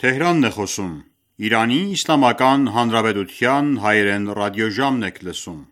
Թեհրանն է խոսում։ Իրանի Իսլամական Հանրապետության հայերեն ռադիոժամն եք լսում։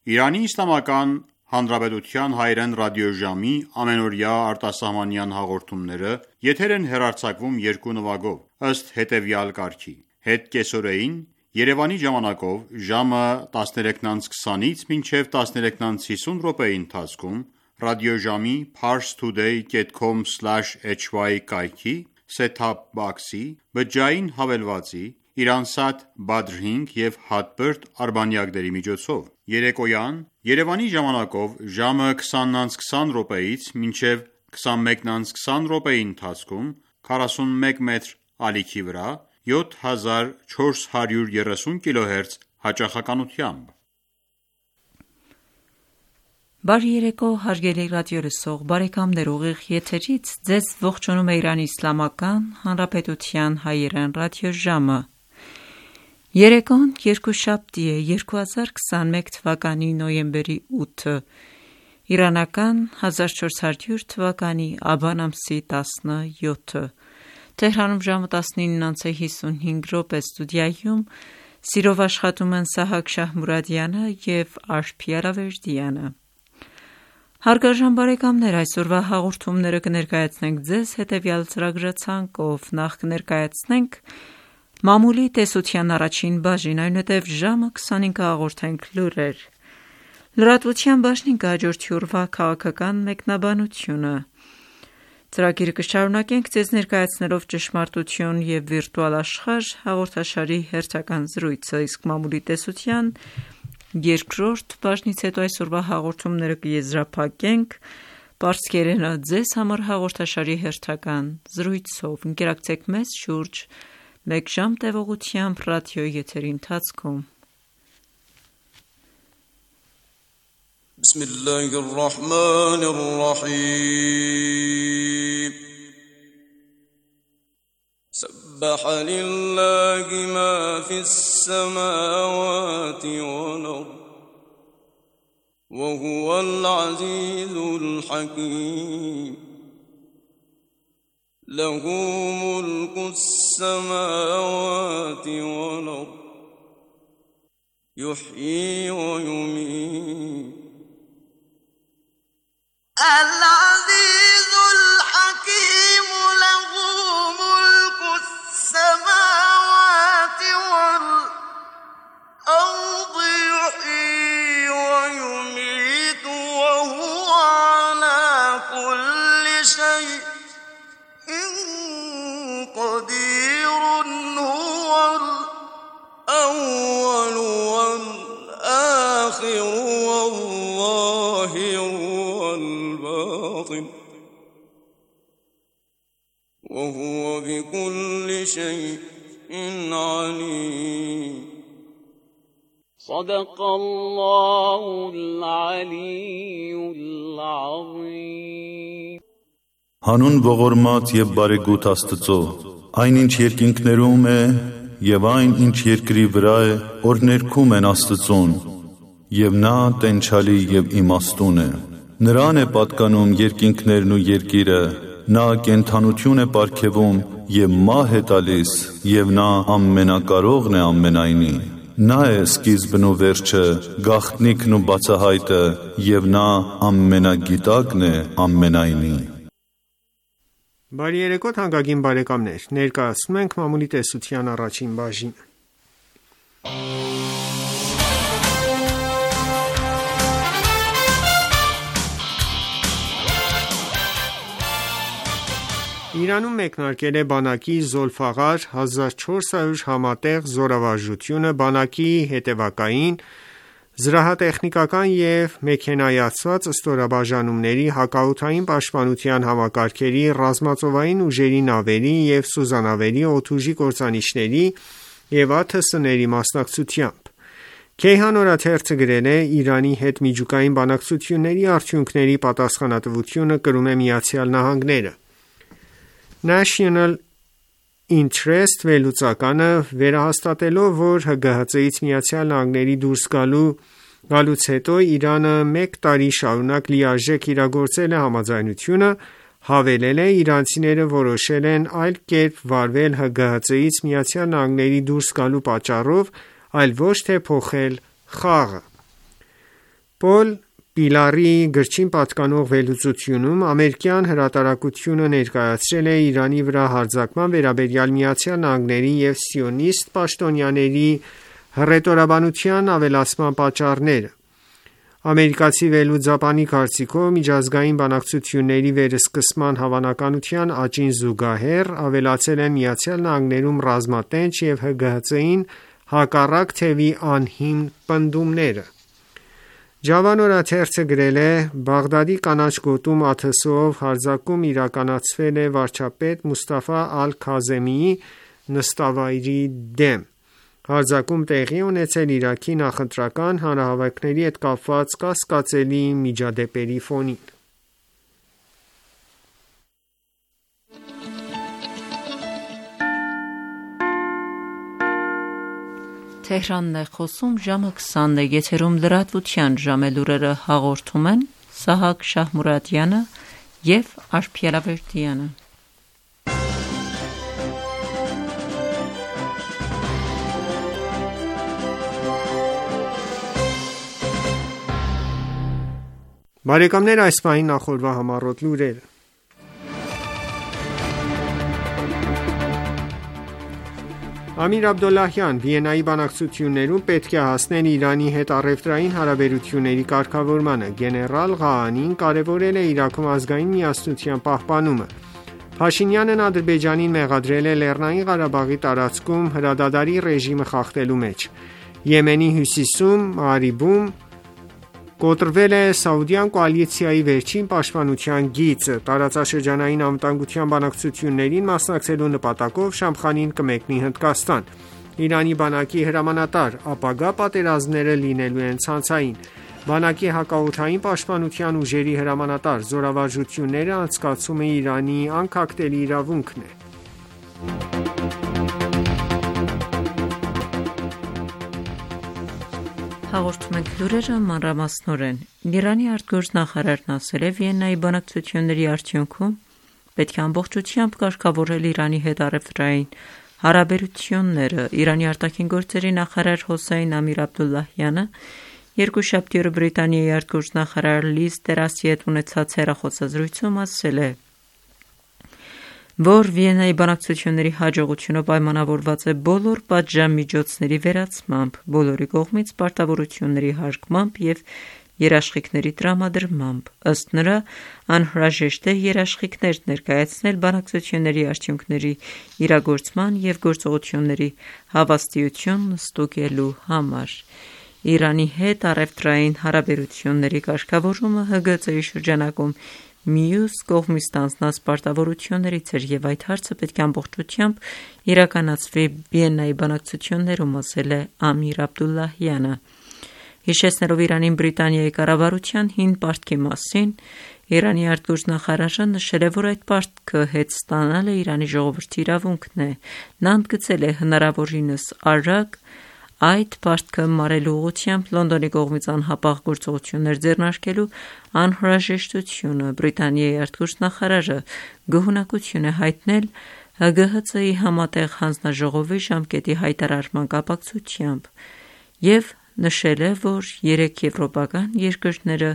Իրանի Իսլամական Հանրապետության հայերեն ռադիոժամի ամենօրյա արտասահմանյան հաղորդումները եթեր են հեռարձակվում երկու նվագով, ըստ հետևյալ կարգի. Հետ կեսօրեին Երևանի ժամանակով ժամը 13:20-ից մինչև 13:50 րոպեի ընթացքում ռադիոժամի parstoday.com/hy կայքի set-top box-ի բջջային հավելվածի Իրանսատ Badr 5 և Hotbird արբանյակների միջոցով, երեկոյան Երևանի ժամանակով ժամը 20:20 րոպեից մինչև 21:20 րոպեի ընթացքում 41 մետր ալիքի վրա 7430 kHz հաճախականությամբ։ Բարի երեկո, հարգելի ռադիոլսող բարեկամներ, ուղիղ եթերից ձեզ ողջունում է Իրանի Իսլամական Հանրապետության հայերեն ռադիոժամը։ Երեկոն երկուշաբթի է 2021 թվականի նոյեմբերի 8-ը, իրանական 1400 թվականի աբան ամսի 17-ը, Թեհրանում ժամը 19:55 ստուդիայում սիրով աշխատում են Սահակ Շահմուրադյանը և Արփի Արավերդյանը։ Հարգարժան բարեկամներ, այսօրվա հաղորդումները կներկայացնենք ձեզ հետևյալ ծրագրացանկով. Նախ կներկայացնենք մամուլի տեսության առաջին բաժին, այնուհետև ժամը 25 կհաղորդենք լուրեր։ Լրատվության բաժնին կհաջորդի օրվա քաղաքական մեկնաբանությունը։ Ծրագիրը կշարունակենք ձեզ ներկայացնելով ճշմարտություն և վիրտուալ աշխարհ հաղորդաշարի հերթական զրույցը, իսկ մամուլի տեսության երկրորդ բաժնից հետո այսօրվա հաղորդումները կեզրափակենք պարսկերենը ձեզ համար հաղորդաշարի հերթական զրույցով։ Ընկերակցեք մեզ շուրջ մեկ ժամ տևողությամբ ռադիոյի եթերի ընթացքում։ Բիսմիլլահիռռահմանիռռահիմ سبح لله ما في السماوات والأرض وهو العزيز الحكيم له ملك السماوات والأرض يحيي ويميت العزيز الحكيم له ملك السماوات والأرض يحيي ويميت وهو على كل شيء قدير هو الأول والآخر والظاهر والباطن وهو بكل شيء عليم صدق الله العلي العظيم Հանուն ողորմած և բարեգութ Աստծո, այն ինչ երկինքներում է և այն ինչ երկրի վրա է, օրհներգում են Աստծուն, և նա տենչալի և իմաստուն է։ Նրան է պատկանում երկինքներն ու երկիրը, նա կենդանություն է պարգևում և մահ է տալիս, և նա ամենակարողն է ամենայնի։ Նա է սկիզբն ու վերջը, գաղտնիքն ու բացահայտը, և նա ամենագիտակն է ամենայնի։ Բարի երեկո թանկագին բարեկամներ, ներկայացնում ենք մամուլի տեսության առաջին բաժինը։ Իրանում մեկնարկել է բանակի Զոլֆաղար 1400 համատեղ զորավարժությունը բանակի հետևակային, զրահատեխնիկական և մեքենայացված ստորաբաժանումների, հակաօդային պաշտպանության համակարգերի, ռազմածովային ուժերի նավերի և սուզանավերի, օդուժի կործանիչների և ԱԹՍ-ների մասնակցությամբ։ Քեյհան օրաթերթը գրել է. «Իրանի հետ միջուկային բանակցությունների արդյունքների պատասխանատվությունը կրում է ԱՄՆ-ը»։ National Interest վերլուծականը վերահաստատելով, որ ՀԳՀԾ-ից ԱՄՆ դուրս գալուց հետո Իրանը մեկ տարի շարունակ լիարժեք իրագործել է համաձայնությունը, հավելել է. «Իրանցիները որոշել են այլ կերպ վարվել ՀԳՀԾ-ից ԱՄՆ դուրս գալու պատճառով, այլ ոչ թե փոխել խաղը»։ Պոլ Պիլարի գրչին պատկանող վերլուծությունում ամերիկյան հրատարակությունը ներկայացրել է Իրանի վրա հարձակման վերաբերյալ ԱՄՆ-ի և սիոնիստ պաշտոնյաների հռետորաբանության ավելացման պատճառները։ Ամերիկացի վերլուծաբանի կարծիքով, միջազգային բանակցությունների վերսկսման հավանականության աճին զուգահեռ ավելացել են ԱՄՆ-ում ռազմատենչ և ՀԳՀԾ-ին հակառակ թևի անհիմն պնդումները։ Ջավան օրաթերթը գրել է. «Բաղդադի կանաչ գոտում ԱԹՍ-ով հարձակում իրականացվել է վարչապետ Մուստաֆա Ալ-Քազեմիի նստավայրի դեմ։ Հարձակում տեղի է ունեցել Իրաքի նախընտրական հանրահավաքների հետ կապված կասկածելի միջադեպերի ֆոնին»։ Բարեկամներ, այս պահին նախորդ համառոտ լուրերը։ Ամիր Աբդոլլահյան. Վիեննայի բանակցություններում պետք է հասնել Իրանի հետ առևտրային հարաբերությունների կարգավորմանը։ Գեներալ Ղաանին կարևորել է Իրաքում ազգային միասնության պահպանումը։ Փաշինյանն Ադրբեջանին մեղադրել է Լեռնային Ղարաբաղի տարածքում հրադադարի ռեժիմը խախտելու մեջ։ Եմենի հյուսիսում Մաարիբում կոտրվել է Սաուդյան կոալիցիայի վերջին պաշտպանության գիծը։ Տարածաշրջանային անվտանգության բանակցություններին մասնակցելու նպատակով Շամխանին կմեկնի Հնդկաստան։ Իրանի բանակի հրամանատար. ապագա պատերազմները լինելու են ցանցային։ Բանակի հակաօդային պաշտպանության ուժերի հրամանատար. զորավարժությունները անցկացումը Իրանի անքակտելի իրավունքն է։ Հաղորդում ենք լուրերը մանրամասնորեն։ Իրանի արտգործնախարարն ասել է. Վիեննայի բանակցությունների արդյունքում պետք է ամբողջությամբ կարգավորել Իրանի հետ առևտրային հարաբերությունները։ Իրանի արտաքին գործերի նախարար Հոսեյն Ամիր Աբդոլլահյանը երկուշաբթի օրը Բրիտանիայի արտգործնախարար Լիզ Տրասի հետ ունեցած հեռախոսազրույցում ասել է, որ Վիեննայի բանակցությունների հաջողությունը պայմանավորված է բոլոր պատժամիջոցների վերացմամբ, բոլորի կողմից պարտավորությունների հարգմամբ և երաշխիքների տրամադրմամբ։ Ըստ նրա, անհրաժեշտ է երաշխիքներ ներկայացնել բանակցությունների արդյունքների իրագործման և գործողությունների հավաստիությունն ստուգելու համար։ Իրանի հետ առևտրային հարաբերությունների կարգավորումը ՀԳԾ-ի շրջանակում մյուս կողմից ստանձնած պարտավորություններից էր և այդ հարցը պետք է ամբողջությամբ իրականացվի Վիեննայի բանակցություններում, ասել է Ամիր Աբդոլլահյանը։ Հիշեցնելով Իրանին Բրիտանիայի կառավարության հին պարտքի մասին, Իրանի արտգործնախարարը նշել է, որ այդ պարտքը հետ ստանալը Իրանի ժողովրդի իրավունքն է։ Նա ընդգծել է հնարավորինս արագ այդ պարտքը մարելու ուղղությամբ Լոնդոնի կողմից անհապաղ գործողություններ ձեռնարկելու անհրաժեշտությունը։ Բրիտանիայի արտգործնախարարը գոհունակություն է հայտնել ՀԳՀԾ-ի համատեղ հանձնաժողովի ժամկետի հայտարարման կապակցությամբ և նշել է, որ 3 եվրոպական երկրները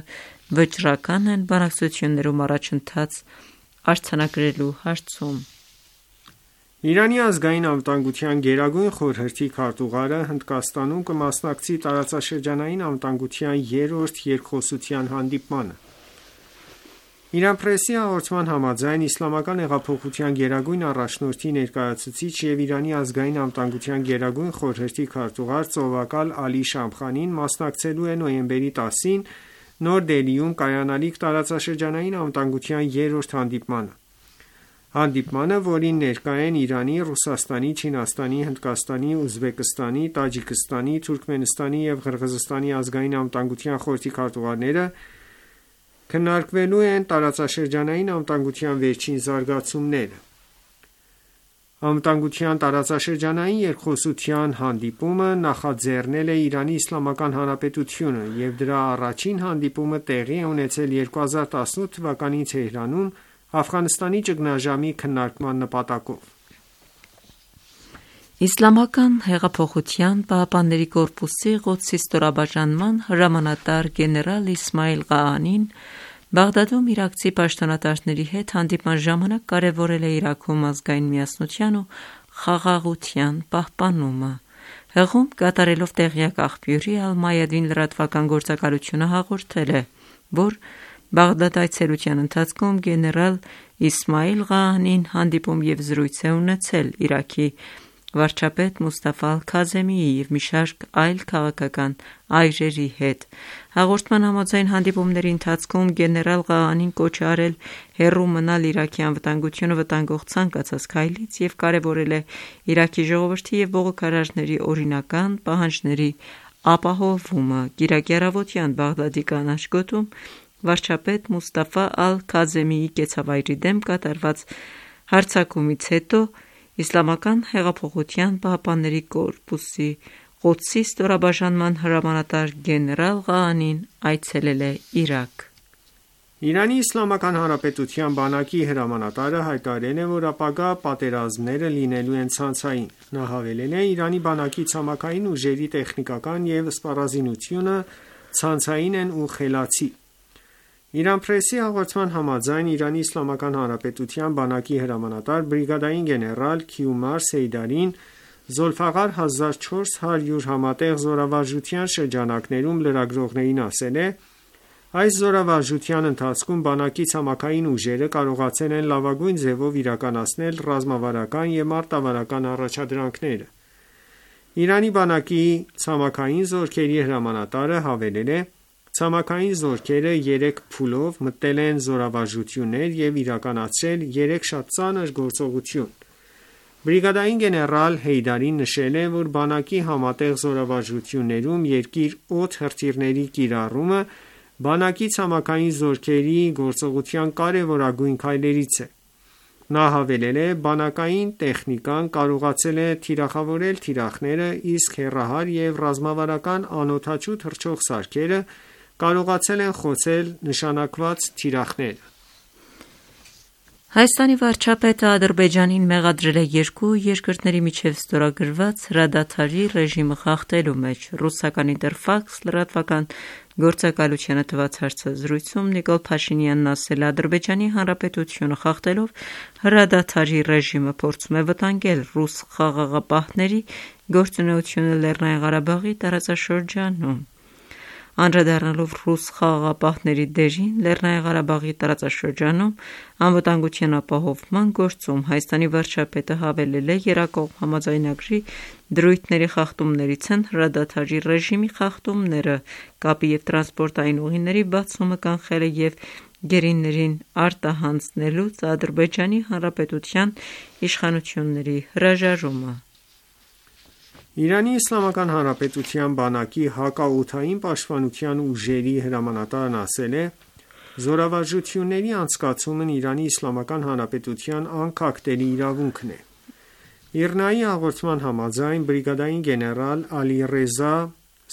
վճռական են բանակցություններում առաջընթաց արձանագրելու հարցում։ Իրանի ազգային անվտանգության գերագույն խորհրդի քարտուղարը Հնդկաստանում կմասնակցի տարածաշրջանային անվտանգության 3-րդ երկխոսության հանդիպմանը։ Իրան Պրեսի հաղորդման համաձայն Իսլամական հեղափոխության գերագույն առաջնորդի ներկայացուցիչ և Իրանի ազգային անվտանգության գերագույն խորհրդի քարտուղար ծովակալ Ալի Շամխանին մասնակցելու է նոյեմբերի 10-ին Նոր Դելիում կայանալիք տարածաշրջանային անվտանգության 3-րդ հանդիպմանը, որին ներկա են Իրանի, Ռուսաստանի, Չինաստանի, Հնդկաստանի, Ուզբեկստանի, Տաջիկստանի, Թուրքմենստանի և Ղրղզստանի ազգային անվտանգության խորհրդի քարտուղարները, քննարկվելու են տարածաշրջանային անվտանգության վերջին զարգացումները։ Անվտանգության տարածաշրջանային երկխոսության հանդիպումը նախաձեռնել է Իրանի Իսլամական Հանրապետությունը և դրա առաջին հանդիպումը տեղի է ունեցել 2018 թվականի Թեհրանում Աֆղանստանի ճգնաժամի քննարկման նպատակով։ Իսլամական հեղափոխության պահապանների կորպուսի Ղոդսի ստորաբաժանման հրամանատար գեներալ Իսմայիլ Ղաանին Բաղդադում իրաքցի պաշտոնատարների հետ հանդիպման ժամանակ կարևորել է Իրաքում ազգային միասնության ու խաղաղության պահպանումը։ Հղում կատարելով տեղյակ աղբյուրի Ալ-Մայադին լրատվական գործակալությունը հաղորդել է, որ Բաղդադ այցելության ընթացքում գեներալ Իսմայիլ Ղաանին հանդիպում և զրույց է ունեցել Իրաքի վարչապետ Մուստաֆա Ալ-Քազեմիի և մի շարք այլ քաղաքական այրերի հետ։ Հաղորդման համաձայն հանդիպումների ընթացքում գեներալ Ղաանին կոչ է արել հեռու մնալ Իրաքի անվտանգությունը վտանգող ցանկացած քայլից և կարևորել է Իրաքի ժողովրդի և բողոքարարների օրինական պահանջների ապահովումը։ Կիրակի առավոտյան Բաղդադի կանաչ գոտում վարչապետ Մուստաֆա Ալ-Քազեմիի կեցավայրի դեմ կատարված հարձակումից հետո Իսլամական հեղափոխության պահապանների կորպուսի Ղոդսի ստորաբաժանման հրամանատար գեներալ Ղաանին այցելել է Իրաք։ Իրանի Իսլամական Հանրապետության բանակի հրամանատարը հայտարարել է, որ ապագա պատերազմները լինելու են ցանցային։ Նա հավելել է. Իրանի բանակի ցամաքային ուժերի տեխնիկական և սպառազինությունը ցանցային են ու խելացի։ Իրան Պրեսի հաղորդման համաձայն Իրանի Իսլամական Հանրապետության բանակի հրամանատար բրիգադային գեներալ Քիումար Սեյդարին Զոլֆաղար 1400 համատեղ զորավարժության շրջանակներում լրագրողներին ասել է. այս զորավարժության ընթացքում բանակի ցամաքային ուժերը կարողացել են լավագույն ձևով իրականացնել ռազմավարական և մարտավարական առաջադրանքները։ Իրանի բանակի ցամաքային զորքերի հրամանատարը հավելել է. Ցամաքային զորքերը 3 փուլով մտել են զորավարժություններ և իրականացրել 3 շատ ծանր գործողություն։ Բրիգադային գեներալ Հեյդարին նշել է, որ բանակի համատեղ զորավարժություններում երկիր-օդ հրթիռների կիրառումը բանակի ցամաքային զորքերի գործողության կարևորագույն քայլերից է։ Նա հավելել է. բանակային տեխնիկան կարողացել է թիրախավորել թիրախները, իսկ հեռահար և ռազմավարական անօդաչու թռչող սարքերը կարողացել են խոցել նշանակված թիրախները։ Հայաստանի վարչապետը Ադրբեջանին մեղադրել է երկու երկրների միջև ստորագրված հրադադարի ռեժիմը խախտելու մեջ։ Ռուսական Ինտերֆաքս լրատվական գործակալությանը տված հարցազրույցում Նիկոլ Փաշինյանն ասել է. Ադրբեջանի Հանրապետությունը խախտելով հրադադարի ռեժիմը փորձում է վտանգել ռուս խաղաղապահների գործունեությունը Լեռնային Ղարաբաղի տարածաշրջանում։ Անդրադառնալով ռուս խաղաղապահների դերին Լեռնային Ղարաբաղի տարածաշրջանում անվտանգության ապահովման գործում Հայաստանի վարչապետը հավելել է. Երակողմ համաձայնագրի դրույթների խախտումներից են հրադադարի ռեժիմի խախտումները, կապի և տրանսպորտային ուղիների բացումը կանխելը և գերիներին արտահանձնելուց Ադրբեջանի Հանրապետության իշխանությունների հրաժարումը։ Իրանի Իսլամական Հանրապետության բանակի հակաօդային պաշտպանության ուժերի հրամանատարն ասել է. Զորավարժությունների անցկացումն Իրանի Իսլամական Հանրապետության անկախտելի իրավունքն է։ ԻՌՆԱ-ի հաղորդման համաձայն բրիգադային գեներալ Ալի-Ռեզա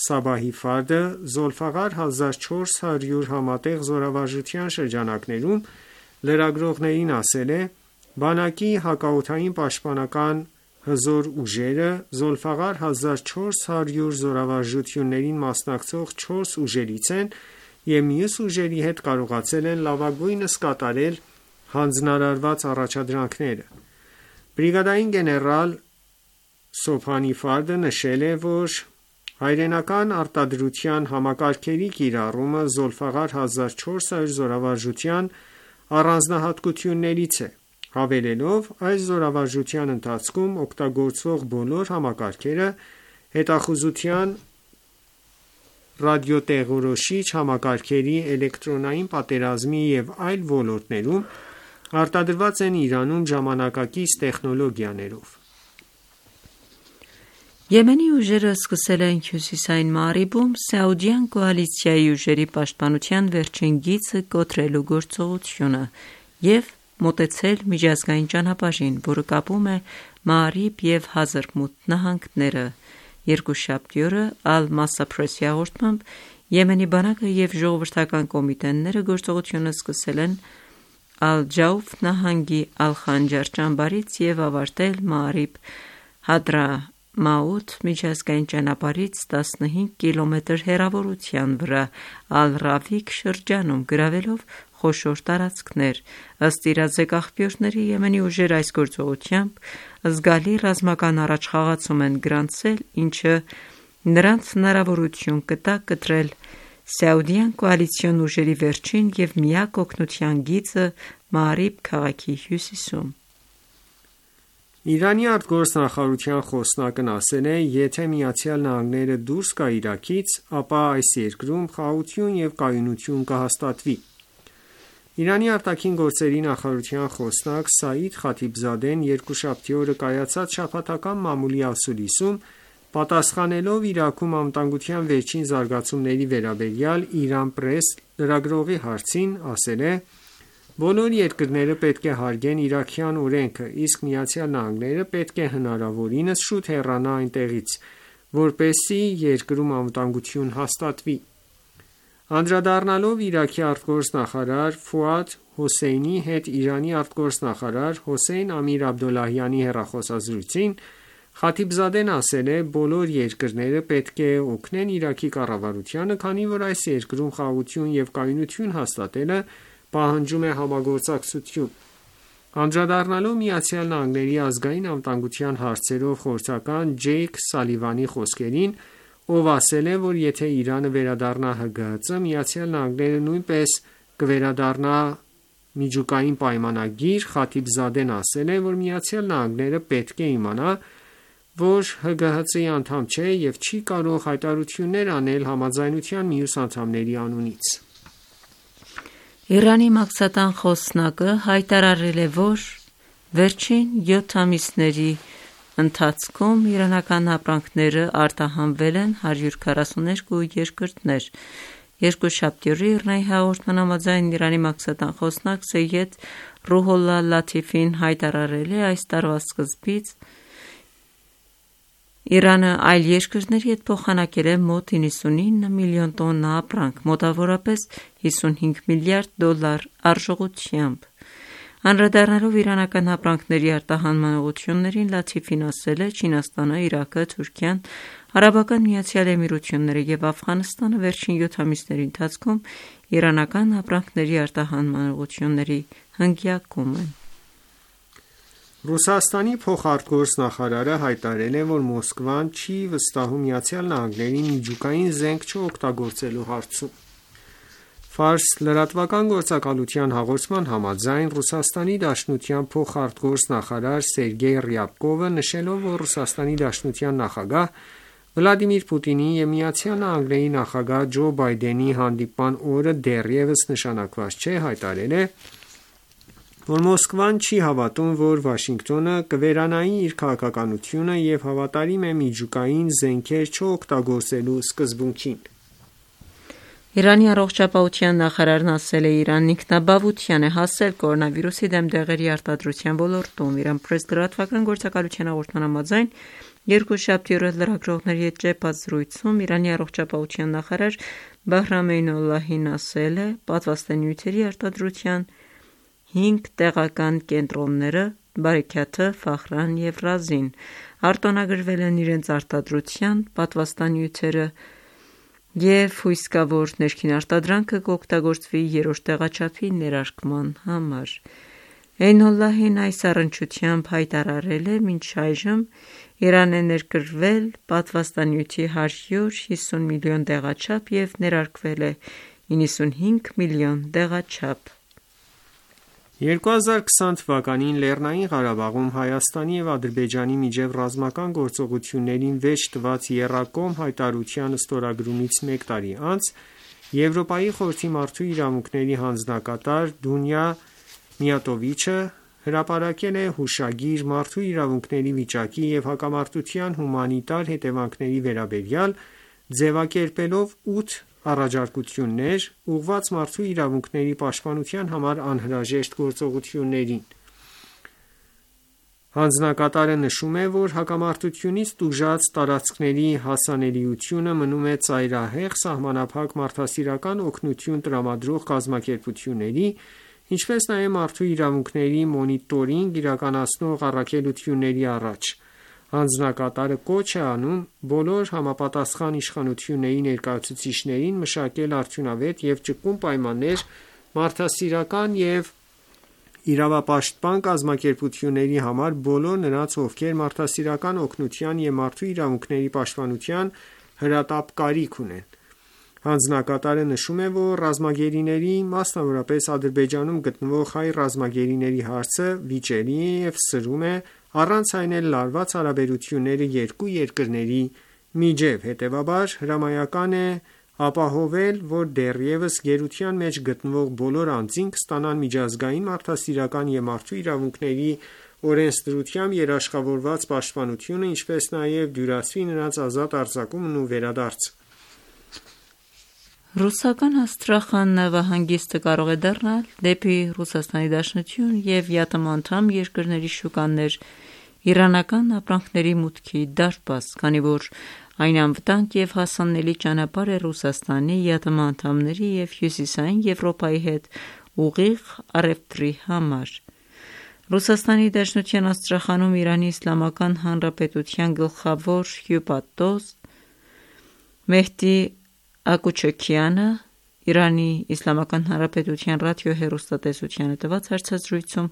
Սաբահի Ֆարդը Զոլֆաղար 1400 համատեղ զորավարժության շրջանակներում լրագրողներին ասել է. բանակի հակաօդային պաշտպանական հզոր ուժերը Զոլֆաղար 1400 զորավարժություններին մասնակցող 4 ուժերից են և մյուս ուժերի հետ կարողացել են լավագույնս կատարել հանձնարարված առաջադրանքները։ Բրիգադային գեներալ Սոբհանի Ֆարդը նշել է, որ հայրենական արտադրության համակարգերի կիրառումը Զոլֆաղար 1400 զորավարժության առանձնահատկություններից է, հավելելով այս զորավարժության ընթացքում օգտագործվող բոլոր համակարգերը հետախուզության, ռադիոտեղորոշիչ համակարգերի, էլեկտրոնային պատերազմի և այլ ոլորտներում արտադրված են Իրանում ժամանակակից տեխնոլոգիաներով։ Եմենի ուժերը սկսել են հյուսիսային Մաարիբում Սաուդյան կոալիցիայի ուժերի պաշտպանության վերջին գիծը կոտրելու գործողությունը և մոտեցել միջազգային ճանապարհին, որը կապում է Մաարիբ և Հազրմութ նահանգները։ Երկուշաբթի օրը Ալ-Մասա Փրեսի հաղորդմամբ Եմենի բանակը և ժողովրդական կոմիտեները գործողությունը սկսել են Ալ-Ջաուֆ նահանգի Ալ-Խանջար ճամբարից և ավարտել Մաարիբ Հադրամաութ միջազգային ճանապարհից 15 կիլոմետր հեռավորության վրա Ալ-Ռավիկ շրջանում, գրավելով խոշոր տարածքներ։ Ըստ իրազեկ աղբյուրների, Եմենի ուժերը այս գործողությամբ զգալի ռազմական առաջխաղացում են գրանցել, ինչը նրանց հնարավորություն կտա կտրել Սաուդյան կոալիցիոն ուժերի վերջին և միակ օգնության գիծը Մաարիբ քաղաքի հյուսիսում։ Իրանի արտգործնախարարության խոսնակն ասել է, եթե ԱՄՆ-ը դուրս գա Իրաքից, ապա այս երկրում խաղաղություն և կայունություն կհաստատվի։ Իրանի արտաքին գործերի նախարարության խոսնակ Սաիդ Խաթիբզադեն երկուշաբթի օրը կայացած շաբաթական մամուլի ասուլիսում, պատասխանելով Իրաքում անվտանգության վերջին զարգացումների վերաբերյալ Իրանպրես լրագրողի հարցին, ասել է. «Բոլոր երկրները պետք է հարգեն իրաքյան օրենքը, իսկ ԱՄՆ-ը պետք է հնարավորինս շուտ հեռանա այնտեղից, որպեսզի երկրում անվտանգություն հաստատվի»։ Անդրադառնալով Իրաքի արտգործնախարար Ֆուադ Հոսեյնի հետ Իրանի արտգործնախարար Հոսեյն Ամիր Աբդոլլահյանի հեռախոսազրույցին, Խաթիբզադեն ասել է. «Բոլոր երկրները պետք է օգնեն Իրաքի կառավարությանը, քանի որ այս երկրում խաղաղություն և կայունություն հաստատելը պահանջում է համագործակցություն»։ Անդրադառնալով ԱՄՆ-ի ազգային անվտանգության հարցերով խորհրդական Ջեյք Սալիվանի խոսքերին, ով ասել է, որ եթե Իրանը վերադառնա ՀԳՀԾ, ԱՄՆ-ը նույնպես կվերադառնա միջուկային պայմանագիր, Խաթիբզադեն ասել է, որ ԱՄՆ-ը պետք է իմանա, որ ՀԳՀԾ-ի անդամ չէ և չի կարող հայտարարություններ անել համաձայնության մյուս անդամների անունից։ Իրանի մաքսատան խոսնակը հայտարարել է, որ վերջին 7 ամիսների ընթացքում իրանական ապրանքները արտահանվել են 142 երկրներ։ Երկուշաբթի օրը ԻՌՆԱ-ի հաղորդման համաձայն Իրանի մաքսատան խոսնակ Սեյեդ Ռուհոլլա Լաթիֆին հայտարարել է այս տարվա սկզբից Իրանը այլ երկրների հետ փոխանակել է մոտ 99 միլիոն տոննա ապրանք, մոտավորապես $55 միլիարդ արժողությամբ։ Անդրադառնալով իրանական ապրանքների արտահանման ուղղություններին, Լաթիֆին ասել է. «Չինաստանը, Իրաքը, Թուրքիան, Արաբական Միացյալ Էմիրությունները և Աֆղանստանը վերջին 7 ամիսների ընթացքում իրանական ապրանքների արտահանման ուղղությունների հնգյակում են»։ Ռուսաստանի փոխարտգործնախարարը հայտարարել է, որ Մոսկվան չի վստահում ԱՄՆ-ին միջուկային զենք չօգտագործելու հարցում։ Ֆարս լրատվական գործակալության հաղորդման համաձայն, Ռուսաստանի Դաշնության փոխարտգործնախարար Սերգեյ Ռյաբկովը, նշելով, որ Ռուսաստանի Դաշնության նախագահ Վլադիմիր Պուտինի և ԱՄՆ-ի նախագահ Ջո Բայդենի հանդիպման օրը դեռևս նշանակված չէ, հայտարարել է, որ Մոսկվան չի հավատում, որ Վաշինգտոնը կվերանայի իր քաղաքականությունը և հավատարիմ է միջուկային զենքեր չօգտագործելու սկզբունքին։ Իրանի առողջապահության նախարարն ասել է. «Իրանն ինքնաբավության է հասել կորոնավիրուսի դեմ դեղերի արտադրության ոլորտում»։ Իրանպրես լրատվական գործակալության հաղորդման համաձայն, երկուշաբթի օրը լրագրողների հետ ճեպած զրույցում Իրանի առողջապահության նախարար Բահրամ Էյնոլլահին ասել է. «Պատվաստանյութերի արտադրության 5 տեղական կենտրոնները՝ Բարեքաթը, Ֆախրան և Ռազին, արտոնագրվել են իրենց արտադրության պատվաստանյութերը և հույս կա, որ ներքին արտադրանքը կօգտագործվի երրորդ տեղաչափի ներարկման համար»։ Էյնոլլահին այս առնչությամբ հայտարարել է մինչ այժմ Իրան է ներկրվել պատվաստանյութի 150 միլիոն դեղաչափ և ներարկվել է 95 միլիոն դեղաչափ։ 2020 թվականին Լեռնային Ղարաբաղում Հայաստանի և Ադրբեջանի միջև ռազմական գործողություններին վերջ տված եռակողմ հայտարարության ստորագրումից մեկ տարի անց Եվրոպայի խորհրդի մարդու իրավունքների հանձնակատար Դունյա Միատովիչը հրապարակել է հուշագիր մարդու իրավունքների վիճակի և հակամարտության հումանիտար հետևանքների վերաբերյալ, ձևակերպելով 8 առաջարկություններ՝ ուղղված մարդու իրավունքների պաշտպանության համար անհրաժեշտ գործողություններին։ Հանձնակատարը նշում է, որ հակամարտությունից տուժած տարածքների հասանելիությունը մնում է ծայրահեղ սահմանափակ մարդասիրական օգնություն տրամադրող կազմակերպությունների, ինչպես նաև մարդու իրավունքների մոնիտորինգ իրականացնող առաքելությունների առաջ։ Հանձնակատարը կոչ է անում բոլոր համապատասխան իշխանությունների ներկայացուցիչներին մշակել արդյունավետ և ճկուն պայմաններ մարդասիրական և իրավապաշտպան կազմակերպությունների համար բոլոր նրանց, ովքեր մարդասիրական օգնության և մարդու իրավունքների պաշտպանության հրատապ կարիք ունեն։ Հանձնակատարը նշում է, որ ռազմագերիների, մասնավորապես Ադրբեջանում գտնվող հայ ռազմագերիների հարցը վիճելի է և սրում է առանց այն էլ լարված հարաբերությունները երկու երկրների միջև։ Հետևաբար հրամայական է ապահովել, որ դեռևս գերության մեջ գտնվող բոլոր անձինք ստանան միջազգային մարդասիրական և մարդու իրավունքների օրենսդրությամբ երաշխավորված պաշտպանությունը, ինչպես նաև դյուրացվի նրանց ազատ արձակումն ու վերադարձը։ Ռուսական Աստրախան նավահանգիստը կարող է դառնալ դեպի ՌԴ և ԵԱՏՄ անդամ երկրների շուկաներ իրանական ապրանքների մուտքի դարպաս, քանի որ այն անվտանգ և հասանելի ճանապարհ է Ռուսաստանի, ԵԱՏՄ անդամների և Հյուսիսային Եվրոպայի հետ ուղիղ առևտրի համար։ ՌԴ Աստրախանում Իրանի Իսլամական Հանրապետության գլխավոր հյուպատոս Մեհդի Ակուչաքյանը ԻԻՀ ռադիոհեռուստատեսությանը տված հարցազրույցում,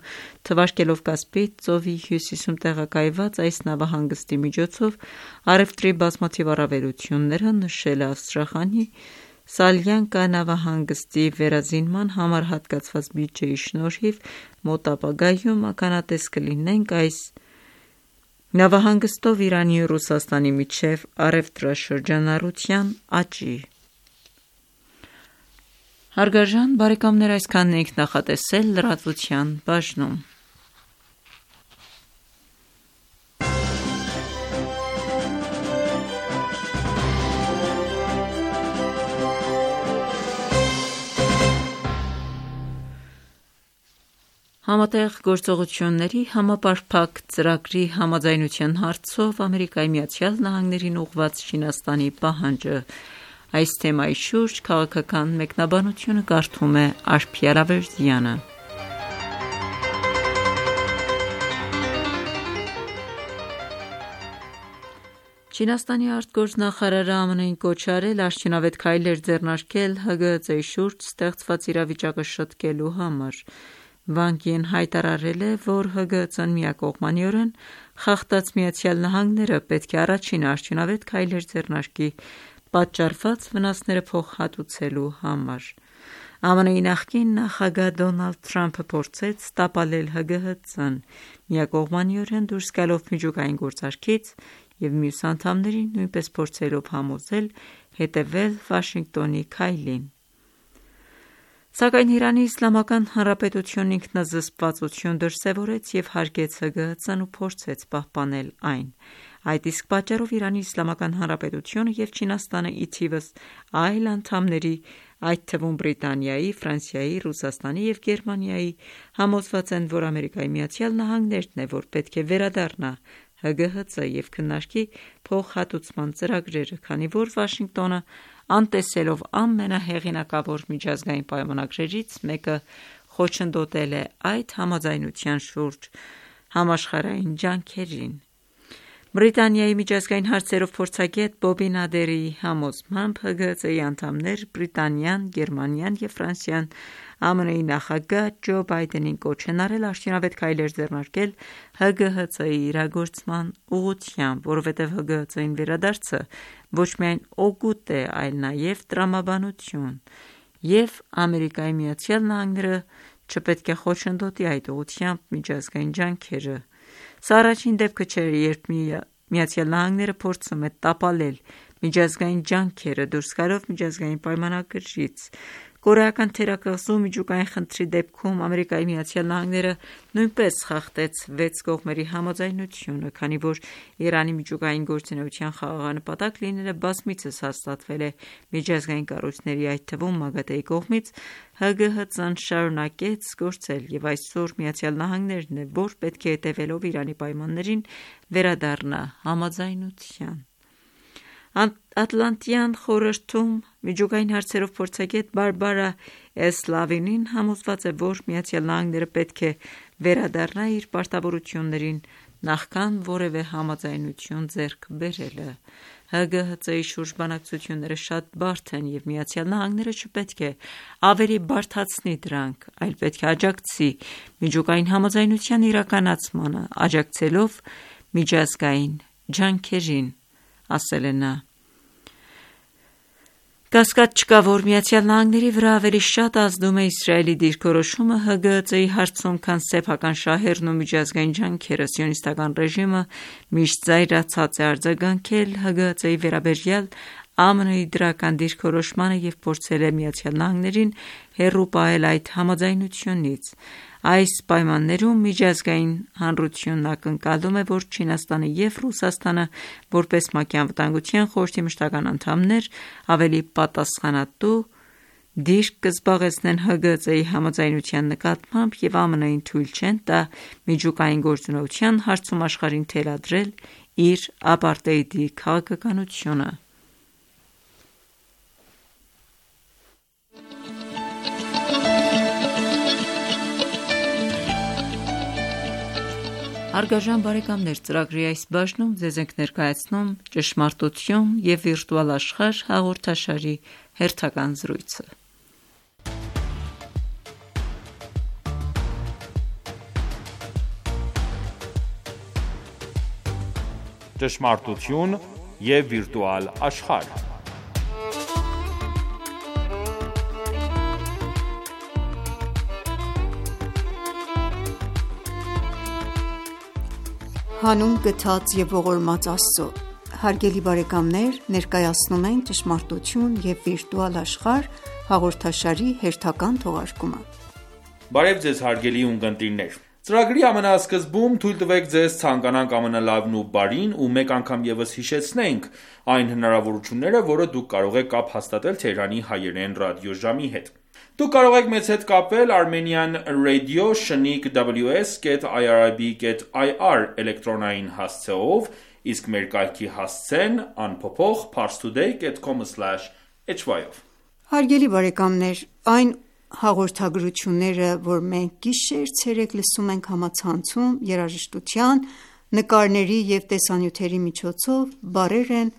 թվարկելով Կասպից ծովի հյուսիսում տեղակայված այս նավահանգստի միջոցով առևտրի բազմաթիվ առավելությունները, նշել է Աստրախանի Սալյանկա նավահանգստի վերազինման համար հատկացված բյուջեի շնորհիվ մոտ ապագայում ականատես կլինենք այս նավահանգստով Իրանի ու Ռուսաստանի միջև առևտրաշրջանառության աճի։ Հարգարժան բարեկամներ, այսքանն էինք նախատեսել լրատվության բաժնում։ Համատեղ գործողությունների համապարփակ ծրագրի համաձայնության հարցով ԱՄՆ-ին ուղղված Չինաստանի պահանջը։ Այս թեմայի շուրջ քաղաքական մեկնաբանությունը կարդում է Արփի Արավերդյանը։ Չինաստանի արտգործնախարարը ԱՄՆ-ին կոչ արել արդյունավետ քայլեր ձեռնարկել ՀԳՀԾ-ի շուրջ ստեղծված իրավիճակը շտկելու համար։ Վան Գին հայտարարել է, որ ՀԳՀԾ-ն միակողմանիորեն խախտած ԱՄՆ-ը պետք է առաջինը արդյունավետ քայլեր ձեռնարկի պատճառված վնասները փոխհատուցելու համար։ ԱՄՆ-ի նախկին նախագահ Դոնալդ Թրամփը փորձեց տապալել ՀԳՀԾ-ն միակողմանիորեն դուրս գալով միջուկային գործարքից և մյուս անդամներին նույնպես փորձելով համոզել հետևել Վաշինգտոնի քայլին։ Սակայն Իրանի Իսլամական Հանրապետությունն ինքնազսպվածություն դրսևորեց և հարգեց ՀԳՀԾ-ն ու փորձեց պահպանել այն։ Այդ իսկ պատճառով Իրանի Իսլամական Հանրապետությունը և Չինաստանը ի թիվս այլ անդամների, այդ թվում Բրիտանիայի, Ֆրանսիայի, Ռուսաստանի և Գերմանիայի, համոզված են, որ ԱՄՆ-ն է, որ պետք է վերադառնա ՀԳՀԾ և քննարկի փոխհատուցման ծրագրերը, քանի որ Վաշինգտոնը, անտեսելով ամենահեղինակավոր միջազգային պայմանագրերից մեկը, խոչընդոտել է այդ համաձայնության շուրջ համաշխարհային ջանքերին։ Բրիտանիայի միջազգային հարցերով փորձագետ Բոբի Նադերի համոզմամբ ՀԳՀԾ-ի անդամներ Բրիտանիան, Գերմանիան և Ֆրանսիան ԱՄՆ-ի նախագահ Ջո Բայդենին կոչ են արել արդյունավետ քայլեր ձեռնարկել ՀԳՀԾ-ի իրագործման ուղղությամբ, որովհետև ՀԳՀԾ-ին վերադարձը ոչ միայն օգուտ է, այլ նաև տրամաբանություն, և ԱՄՆ-ը չպետք է խոչընդոտի այդ ուղղությամբ միջազգային ջանքերը։ Սա առաջին դեպքը չէր, երբ ԱՄՆ-ը փորձում է տապալել միջազգային ջանքերը դուրս գալով միջազգային պայմանագրից։ Կորեական թերակղզու միջուկային խնդրի դեպքում ԱՄՆ-ը նույնպես խախտեց 6 կողմերի համաձայնությունը, քանի որ Իրանի միջուկային գործունեության խաղաղանպատակ լինելը բազմիցս հաստատվել է միջազգային կառույցների, այդ թվում ՄԱԳԱՏԷ-ի կողմից, ՀԳՀԾ-ն շարունակեց գործել, և այսօր ԱՄՆ-ն է, որ պետք է հետևելով Իրանի պայմաններին վերադառնա համաձայնության։ Ատլանտյան խորհրդում միջուկային հարցերով փորձագետ Բարբարա Էսլավինին համոզված է, որ ԱՄՆ-ը պետք է վերադառնա իր պարտավորություններին նախքան որևէ համաձայնություն ձեռք բերելը։ ՀԳՀԾ-ի շուրջ բանակցությունները շատ բարդ են, և ԱՄՆ-ը չպետք է ավելի բարդացնի դրանք, այլ պետք է աջակցի միջուկային համաձայնության իրականացմանը, աջակցելով միջազգային ջանքերին, ասել է նա։ Կասկած չկա, որ ԱՄՆ-ի վրա ավելի շատ ազդում է Իսրայելի դիրքորոշումը ՀԳՀԾ-ի հարցում, քան սեփական շահերն ու միջազգային ջանքերը։ Սիոնիստական ռեժիմը միշտ զայրացած է արձագանքել ՀԳՀԾ-ի վերաբերյալ ԱՄՆ-ի դրական դիրքորոշմանը և փորձել է ԱՄՆ-ին հեռու պահել այդ համաձայնությունից։ Այս պայմաններում միջազգային հանրությունն ակնկալում է, որ Չինաստանը և Ռուսաստանը, որպես ՄԱԿ-ի Անվտանգության խորհրդի մշտական անդամներ, ավելի պատասխանատու դիրք կզբաղեցնեն ՀԳՀԾ-ի համաձայնության նկատմամբ և ԱՄՆ-ին թույլ չեն տա միջուկային գործունեության հարցում աշխարհին թելադրել իր ապարտեիդի քաղաքականությունը։ Հարգարժան բարեկամներ, ծրագրի այս բաժնում ձեզ ենք ներկայացնում «Ճշմարտություն և վիրտուալ աշխարհ» հաղորդաշարի հերթական զրույցը։ Ճշմարտություն և վիրտուալ աշխարհ։ Հանուն գթած և ողորմած Աստծո։ Հարգելի բարեկամներ, ներկայացնում ենք «Ճշմարտություն և վիրտուալ աշխարհ» հաղորդաշարի հերթական թողարկումը։ Բարև ձեզ հարգելի ունկնդիրներ։ Ծրագրի ամենասկզբում թույլ տվեք ձեզ ցանկանանք ամենալավն ու բարին ու մեկ անգամ ևս հիշեցնենք այն հնարավորությունները, որը դուք կարող եք կապ հաստատել Թեհրանի հայերեն ռադիոժամի հետ։ Դուք կարող եք մեզ հետ կապվել Armenian Radio @irib.ir էլեկտրոնային հասցեով, իսկ մեր կայքի հասցեն անփոփոխ parstoday.com/hy-ով։ Հարգելի բարեկամներ, այն հաղորդագրությունները, որ մենք գիշեր-ցերեկ լսում ենք համացանցում, երաժշտության, նկարների և տեսանյութերի միջոցով, բառեր են,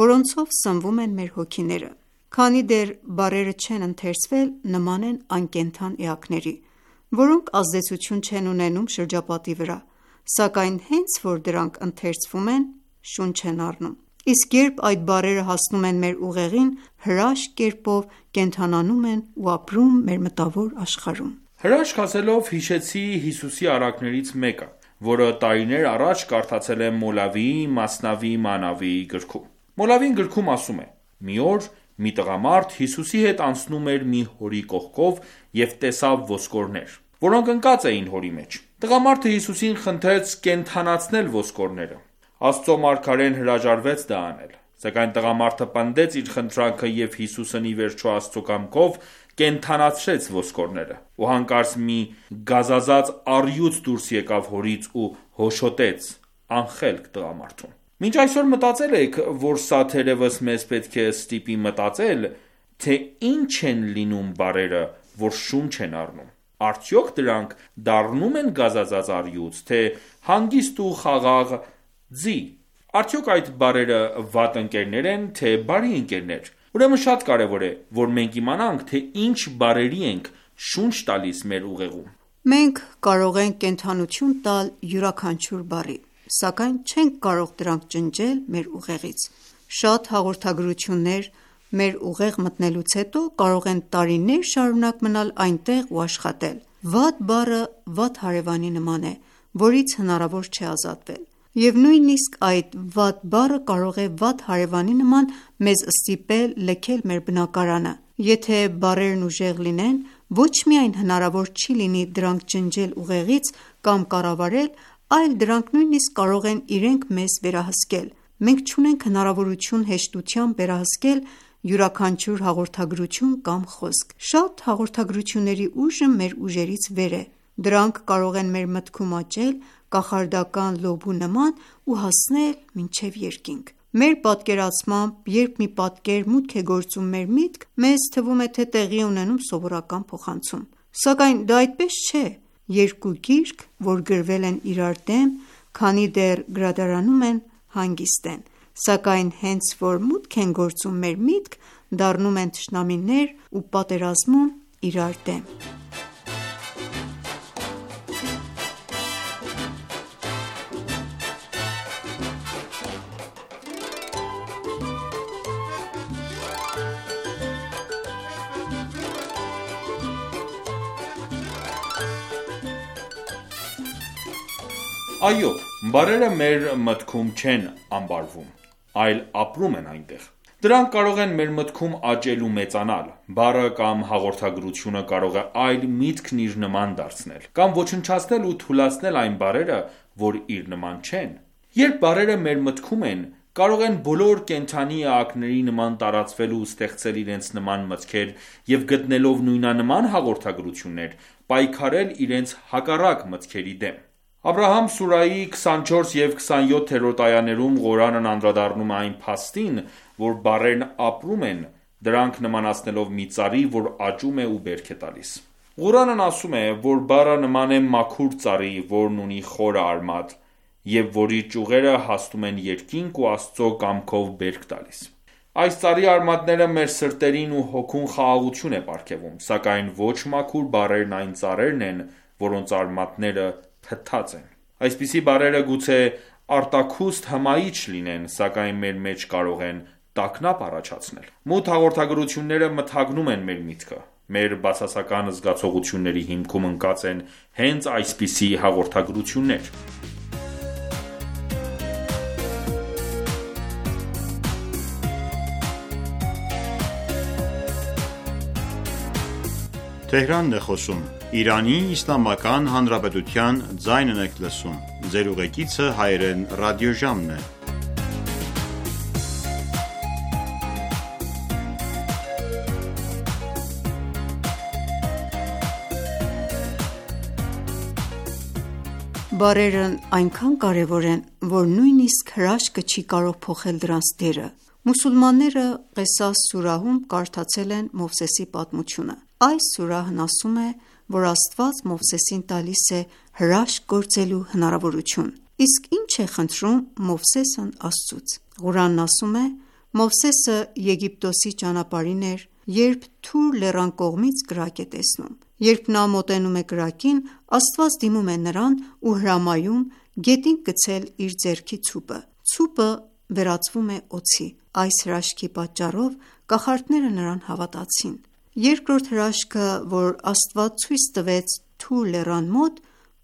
որոնցով սնվում են մեր հոգիները։ Քանի դեռ բառերը չեն ընթերցվել, նման են անկենդան էակների, որոնք ազդեցություն չեն ունենում շրջապատի վրա, սակայն հենց որ դրանք ընթերցվում են, շունչ են առնում։ Իսկ երբ այդ բառերը հասնում են մեր ուղեղին, հրաշք կերպով կենդանանում են ու ապրում մեր մտավոր աշխարհում։ Հրաշք ասելով հիշեցի Հիսուսի առակներից մեկը, որը տարիներ առաջ կարդացել եմ Մոլավիի Մասնավի Մանավիի գրքում։ Մոլավին գրքում ասում է. «Մի օր մի տղամարդ Հիսուսի հետ անցնում էր մի հորի կողքով և տեսավ ոսկորներ, որոնք ընկած էին հորի մեջ։ Տղամարդը Հիսուսին խնդրեց կենդանացնել ոսկորները։ Աստծո մարգարեն հրաժարվեց դա անել, սակայն տղամարդը պնդեց իր խնդրանքը և Հիսուսն ի վերջո Աստծո կամքով կենդանացրեց ոսկորները, ու հանկարծ մի գազազած առյուծ դուրս եկավ հորից ու հոշոտեց անխելք տղամարդուն»։ Մինչ այսօր մտածել եք, որ սա թերևս մեզ պետք է ստիպի մտածել, թե ինչ են լինում բառերը, որ շունչ են առնում։ Արդյոք դրանք դառնում են գազազած առյուծ, թե հանգիստ ու խաղաղ ձի։ Արդյոք այդ բարերը վատ ընկերներ են, թե բարի ընկերներ: Ուրեմն շատ կարևոր է, որ մենք իմանանք, թե ինչ բարերի ենք շունչ տալիս մեր ուղեղում: Մենք կարող ենք կենդանություն տալ յուրաքանչյուր բառի, սակայն չենք կարող դրանք ջնջել մեր ուղեղից: Շատ հաղորդագրություններ մեր ուղեղ մտնելուց հետո կարող են տարիներ շարունակ մնալ այնտեղ ու աշխատել: Վատ բառը վատ հարևանի նման է, որից հնարավոր չէ ազատվել: Եվ նույնիսկ այդ վատ բառը կարող է վատ հարևանի նման մեզ ստիպել լքել մեր բնակարանը: Եթե բառերն ուժեղ լինեն, ոչ միայն հնարավոր չի լինի դրանք ջնջել ուղեղից կամ կառավարել, այլ դրանք նույնիսկ կարող են իրենք մեզ վերահսկել: Մենք չունենք հնարավորություն հեշտությամբ վերահսկել յուրաքանչյուր հաղորդագրություն կամ խոսք: Շատ հաղորդագրությունների ուժը մեր ուժերից վեր է: Դրանք կարող են մեր մտքում աճել կախարդական լոբու նման ու հասնել մինչև երկինք: Մեր պատկերացմամբ, երբ մի պատկեր մուտք է գործում մեր միտք, մեզ թվում է, թե տեղի է ունենում սովորական փոխանցում: Սակայն դա այդպես չէ: Երկու գիրք, որ գրվել են իրար դեմ, քանի դեռ գրադարանում են, հանգիստ են: Սակայն հենց որ մուտք են գործում մեր միտք, դառնում են թշնամիներ ու պատերազմում իրար դեմ: Այո, բառերը մեր մտքում չեն ամբարվում, այլ ապրում են այնտեղ: Դրանք կարող են մեր մտքում աճել ու մեծանալ: Բառը կամ հաղորդագրությունը կարող է այլ միտքն իր նման դարձնել, կամ ոչնչացնել ու թուլացնել այն բառերը, որ իր նման չեն: Երբ բառերը մեր մտքում են, կարող են բոլոր կենդանի էակների նման տարածվել ու ստեղծել իրենց նման մտքեր և գտնելով նույնանման հաղորդագրություններ, պայքարել իրենց հակառակ մտքերի դեմ: Աբրահամ սուրահի 24 և 27-րդ այաներում Ղուրանն անդրադառնում է այն փաստին, որ բառերն ապրում են, դրանք նմանացնելով մի ծառի, որ աճում է ու բերք է տալիս: Ղուրանն ասում է, որ բառը նման է մաքուր ծառի, որն ունի խորը արմատ և որի ճյուղերը հասնում են երկինք ու Աստծո կամքով բերք տալիս: Այս ծառի արմատները մեր սրտերին ու հոգուն խաղաղություն է պարգևում: Սակայն ոչ մաքուր բառերն այն ծառերն են, որոնց արմատները փտտած են: Այսպիսի բառերը գուցե արտաքուստ հմայիչ լինեն, սակայն մեր մեջ կարող են տագնապ առաջացնել: Մութ հաղորդագրությունները մթագնում են մեր միտքը: Մեր բացասական զգացողությունների հիմքում ընկած են հենց այսպիսի հաղորդագրություններ: Բառերն այնքան կարևոր են, որ նույնիսկ հրաշքը չի կարող փոխել դրանց դերը: Մուսուլմանները Ղեսաս սուրահում կարդացել են Մովսեսի պատմությունը: Այս սուրահն ասում է, որ Աստված Մովսեսին տալիս է հրաշք գործելու հնարավորություն: Իսկ ի՞նչ է խնդրում Մովսեսն Աստծուց: Ղուրանն ասում է. Մովսեսը Եգիպտոսի ճանապարհին էր, երբ Թուր լեռան կողմից կրակ է տեսնում: Երբ նա մոտենում է կրակին, Աստված դիմում է նրան ու հրամայում գետին գցել իր ձեռքի ցուպը: Ցուպը վերածվում է օձի: Այս հրաշքի պատճառով կախարդները նրան հավատացին: Երկրորդ հրաշքը, որ Աստված ցույց տվեց Թուր լեռան մոտ,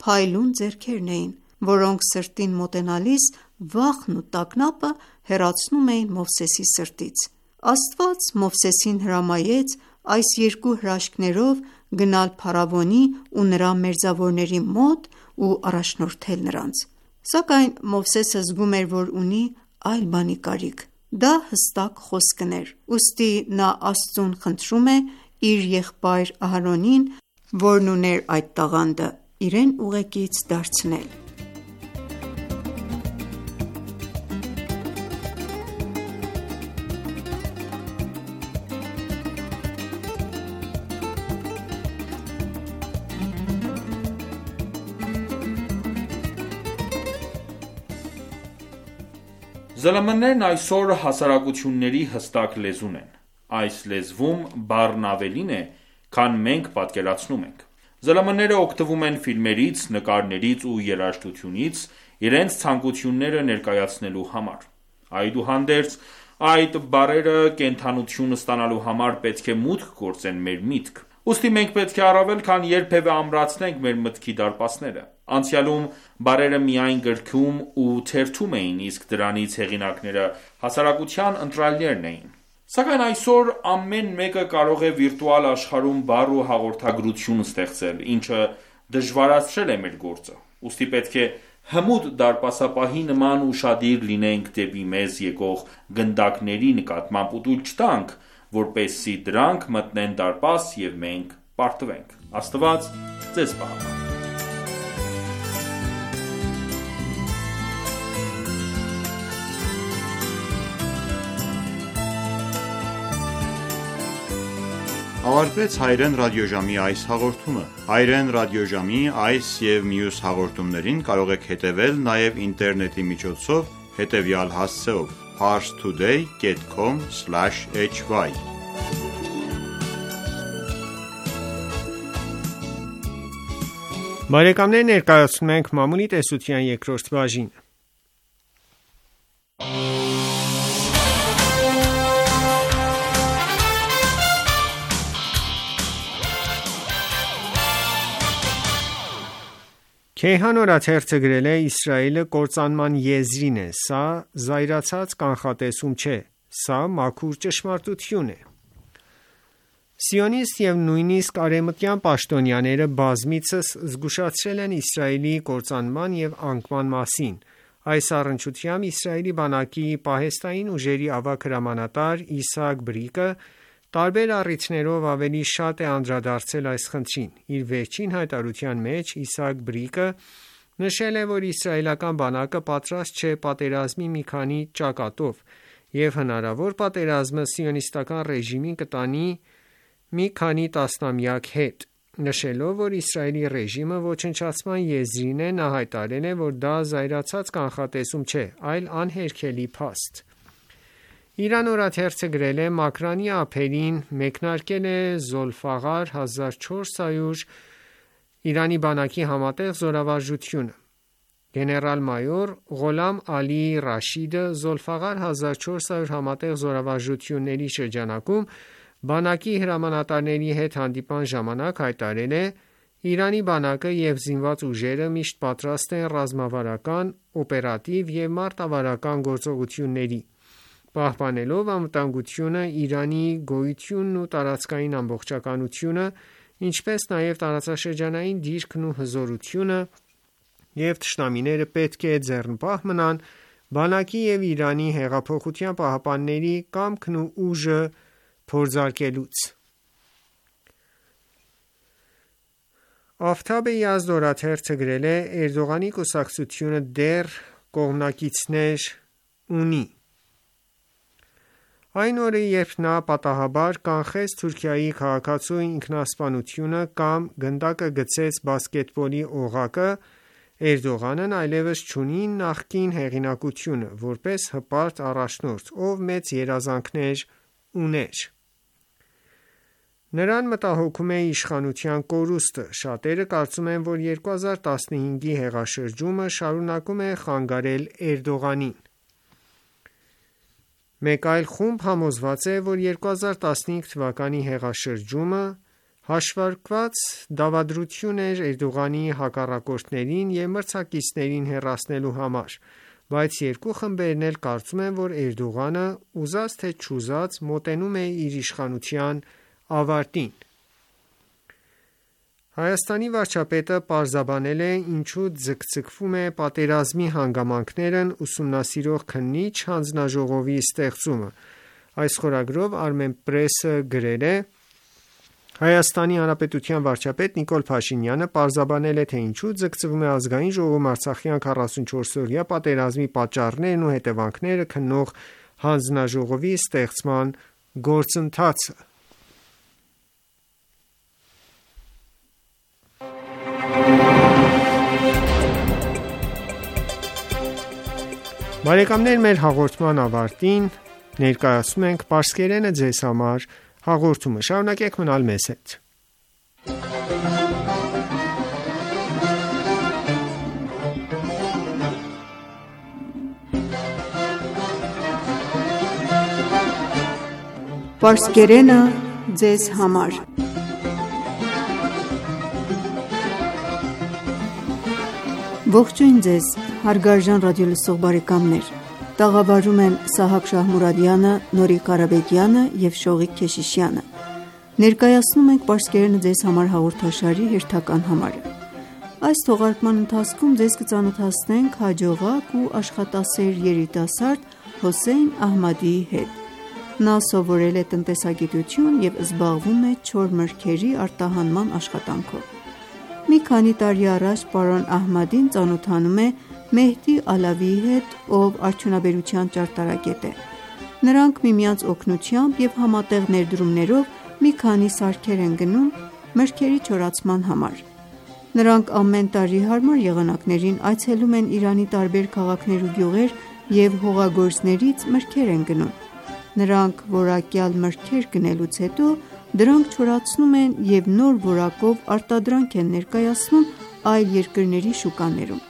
փայլուն ձեռքերն էին, որոնք սրտին մոտենալիս վախն ու տագնապը հեռացնում էին Մովսեսի սրտից: Աստված Մովսեսին հրամայեց այս երկու հրաշքներով գնալ փարավոնի ու նրա մերձավորների մոտ ու առաջնորդել նրանց: Սակայն Մովսեսը զգում էր, որ ունի այլ բանի կարիք: Դա հստակ խոսքն էր: Ուստի նա Աստծուն խնդրում է իր եղբայր Ահարոնին, որն ուներ այդ տաղանդը, իրեն ուղեկից դարձնել: ԶԼՄ-ներն այսօր հասարակությունների հստակ լեզուն են: Այս լեզվում բառն ավելին է, քան մենք պատկերացնում ենք: ԶԼՄ-ները օգտվում են ֆիլմերից, նկարներից ու երաժշտությունից իրենց ցանկությունները ներկայացնելու համար: Այդուհանդերձ, այդ բառերը կենդանություն ստանալու համար պետք է մուտք գործեն մեր միտք: Ուստի մենք պետք է առավել քան երբևէ ամրացնենք մեր մտքի դարպասները: Անցյալում բառերը միայն գրքում ու թերթում էին, իսկ դրանց հեղինակները հասարակության ընտրյալներն էին: Սակայն այսօր ամեն մեկը կարող է վիրտուալ աշխարհում բառ ու հաղորդագրություն ստեղծել, ինչը դժվարացրել է մեր գործը: Ուստի պետք է հմուտ դարպասապահի նման ուշադիր լինենք դեպի մեզ եկող գնդակների նկատմամբ ու թույլ չտանք, որպեսզի դրանք մտնեն դարպաս և մենք պարտվենք: Աստված ձեզ պահապան: Ավարտվեց հայրեն ռադիոժամի այս հաղորդումը: Հայրեն ռադիոժամի այս և մյուս հաղորդումներին կարող եք հետևել նաև ինտերնետի միջոցով հետևյալ հասցեով՝ parstoday.com/hy Բարեկամներ, ներկայացնում ենք Մամուլի տեսության երկրորդ բաժինը: Քեյհան օրաթերթը գրել է. Իսրայելը կործանման եզրին է: Սա զայրացած կանխատեսում չէ: Սա մաքուր ճշմարտություն է: Սիոնիստ և նույնիսկ արևմտյան պաշտոնյաները բազմիցս զգուշացրել են Իսրայելի կործանման և անկման մասին: Այս առնչությամբ Իսրայելի բանակի պահեստային ուժերի ավագ հրամանատար Իսահակ Բրիկը տարբեր առիթներով ավելի շատ է անդրադարձել այս խնդրին: Իր վերջին հայտարարության մեջ Իսահակ Բրիկը նշել է, որ իսրայելական բանակը պատրաստ չէ պատերազմի մի քանի ճակատով և հնարավոր պատերազմը սիոնիստական ռեժիմին կտանի մի քանի տասնամյակ հետ: Նշելով, որ Իսրայելի ռեժիմը ոչնչացման եզրին է, նա հայտարարել է, որ դա զայրացած կանխատեսում չէ, այլ անհերքելի փաստ: Իրան օրաթերթը գրել է. Մակրանի ափերին մեկնարկել է Զոլֆաղար 1400 Իրանի բանակի համատեղ զորավարժությունը: Գեներալ-մայոր Ղոլամ Ալի Ռաշիդը Զոլֆաղար 1400 համատեղ զորավարժությունների շրջանակում բանակի հրամանատարների հետ հանդիպման ժամանակ հայտարարել է. Իրանի բանակը և զինված ուժերը միշտ պատրաստ են ռազմավարական, օպերատիվ և մարտավարական գործողությունների: Պահպանելով անվտանգությունը, Իրանի գոյությունն ու տարածքային ամբողջականությունը, ինչպես նաև տարածաշրջանային դիրքն ու հզորությունը և թշնամիները պետք է ձեռնպահ մնան բանակի և Իրանի հեղափոխության պահապանների կամքն ու ուժը փորձարկելուց: Աֆթաբ Յազդ օրաթերթը գրել է. Էրդողանի կուսակցությունը դեռ կողմնակիցներ ունի: Այն օրը, երբ նա պատահաբար կանխեց Թուրքիայի քաղաքացու ինքնասպանությունը կամ գնդակը գցեց բասկետբոլի օղակը, Էրդողանն այլևս չունի նախկին հեղինակությունը, որպես հպարտ առաջնորդ, ով մեծ երազանքներ ուներ: Նրան մտահոգում է իշխանության կորուստը: Շատերը կարծում են, որ 2015-ի հեղաշրջումը շարունակում է խանգարել Էրդողանին: Մեկ այլ խումբ համոզված է, որ 2015 թվականի հեղաշրջումը հաշվարկված դավադրություն էր Էրդողանի հակառակորդներին և մրցակիցներին հեռացնելու համար: Բայց երկու խմբերն էլ կարծում են, որ Էրդողանը ուզած թե չուզած մոտենում է իր իշխանության ավարտին: Հայաստանի վարչապետը պարզաբանել է ինչու ձգձգվում է պատերազմի հանգամանքներն ուսումնասիրող քննիչ հանձնաժողովի ստեղծումը: Այս խորագրով Armenpress-ը գրել է. ՀՀ վարչապետ Նիկոլ Փաշինյանը պարզաբանել է, թե ինչու ձգձգվում է Ազգային ժողովում արցախյան 44-օրյա պատերազմի պատճառներն ու հետևանքները քննող հանձնաժողովի ստեղծման գործընթացը: Բարեկամներ, մեր հաղորդման ավարտին ներկայացնում ենք Պարսկերենը ձեզ համար հաղորդումը։ Շարունակեք մնալ մեզ հետ։ Պարսկերենը ձեզ համար Ողջույն ձեզ, հարգարժան ռադիոլսող բարեկամներ։ Տաղավարում են Սահակ Շահմուրադյանը, Նորիկ Ղարաբեկյանը և Շողիկ Քեշիշյանը։ Ներկայացնում ենք Պարսկերենը ձեզ համար հաղորդաշարի հերթական համարը։ Այս թողարկման ընթացքում ձեզ կծանոթացնենք հաջողակ ու աշխատասեր երիտասարդ Հոսեյն Ահմադիի հետ։ Նա սովորել է տնտեսագիտություն և զբաղվում է չոր մրգերի արտահանման աշխատանքով։ Մի քանի տարի առաջ պարոն Ահմադին ծանոթանում է Մեհդի Ալավիի հետ, ով արդյունաբերության ճարտարագետ է։ Նրանք միմյանց օգնությամբ և համատեղ ներդրումներով մի քանի սարքեր են գնում մրգերի չորացման համար։ Նրանք ամեն տարի հարմար եղանակներին այցելում են Իրանի տարբեր քաղաքներ ու գյուղեր և հողագործներից մրգեր են գնում։ Նրանք որակյալ մրգեր գնելուց հետո դրանք չորացնում են և նոր որակով արտադրանք են ներկայացնում այլ երկրների շուկաներում։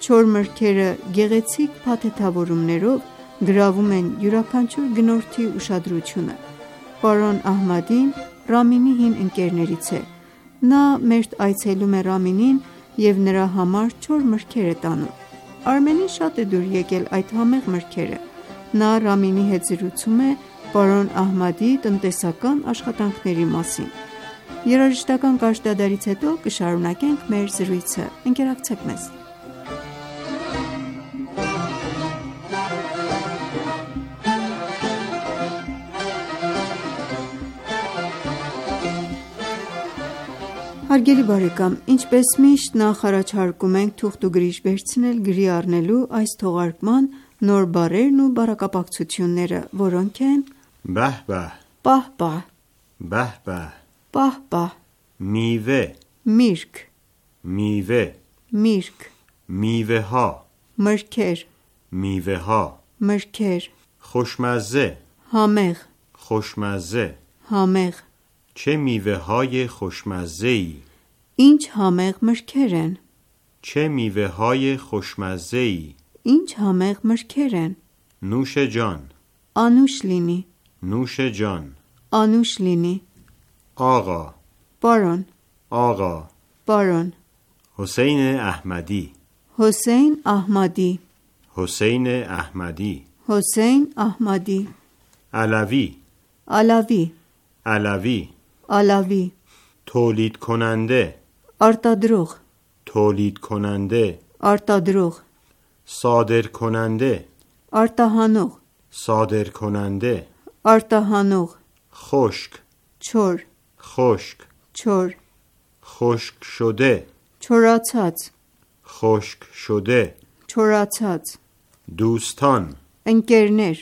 Չոր մրգերը գեղեցիկ փաթեթավորումներով գրավում են յուրաքանչյուր գնորդի ուշադրությունը։ Պարոն Ահմադին Ռամինի հին ընկերներից է։ Նա մերթ այցելում է Ռամինին և նրա համար չոր մրգեր է տանում։ Արմենին շատ է դուր եկել այդ համեղ մրգերը։ Նա Ռամինի հետ զրուցում է պարոն Ահմադիի տնտեսական աշխատանքների մասին։ Երաժշտական կարճ դադարից հետո կշարունակենք մեր զրույցը։ Ընկերակցեք մեզ։ Հարգելի բարեկամ, ինչպես միշտ նախ առաջարկում ենք թուղթ ու գրիչ վերցնել գրի առնելու այս թողարկման նոր բառերն ու բառակապակցությունները, որոնք են Բահ-բահ, պահ-պահ, բահ-բահ, պահ-պահ, միվե, միրգ, միվե, միրգ, միվեհա, մրգեր, միվեհա, մրգեր, خوشمزه, համեղ, خوشمزه, համեղ, چه میوه‌های خوشمزه‌ای ինչ համեղ մրգեր են, چه میوه‌های خوشمزه‌ای ինչ համեղ մրգեր են, نوش جان անուշ լինի, نوش جان անուշ լինի, آقا պարոն, آقا պարոն, حسین احمدی Հոսեյն Ահմադի, حسین احمدی Հոսեյն Ահմադի, علوی Ալավի, علوی Ալավի, تولید کننده արտադրող, تولید کننده արտադրող, صادر کننده արտահանող, صادر کننده արտահանող, خشک չոր, خشک չոր, خشک شده չորացած, خشک شده չորացած, دوستان ընկերներ,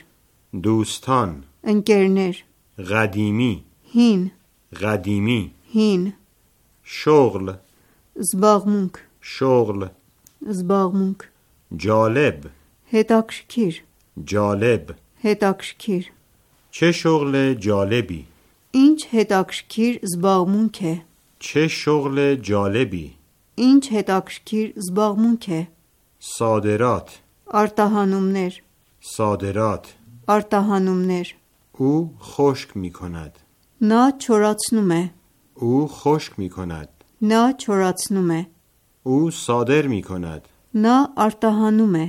دوستان ընկերներ, قدیمی հին, قدیمی հին, شغل զբաղմունք, شغل զբաղմունք, جالب հետաքրքիր, جالب հետաքրքիր, چه شغل جالبی ինչ հետաքրքիր զբաղմունք է, چه شغل جالبی ինչ հետաքրքիր զբաղմունք է, صادرات արտահանումներ, صادرات արտահանումներ, او خشک می کند նա չորացնում է, او خشک می کند նա չորացնում է, او صادر می کند նա արտահանում է,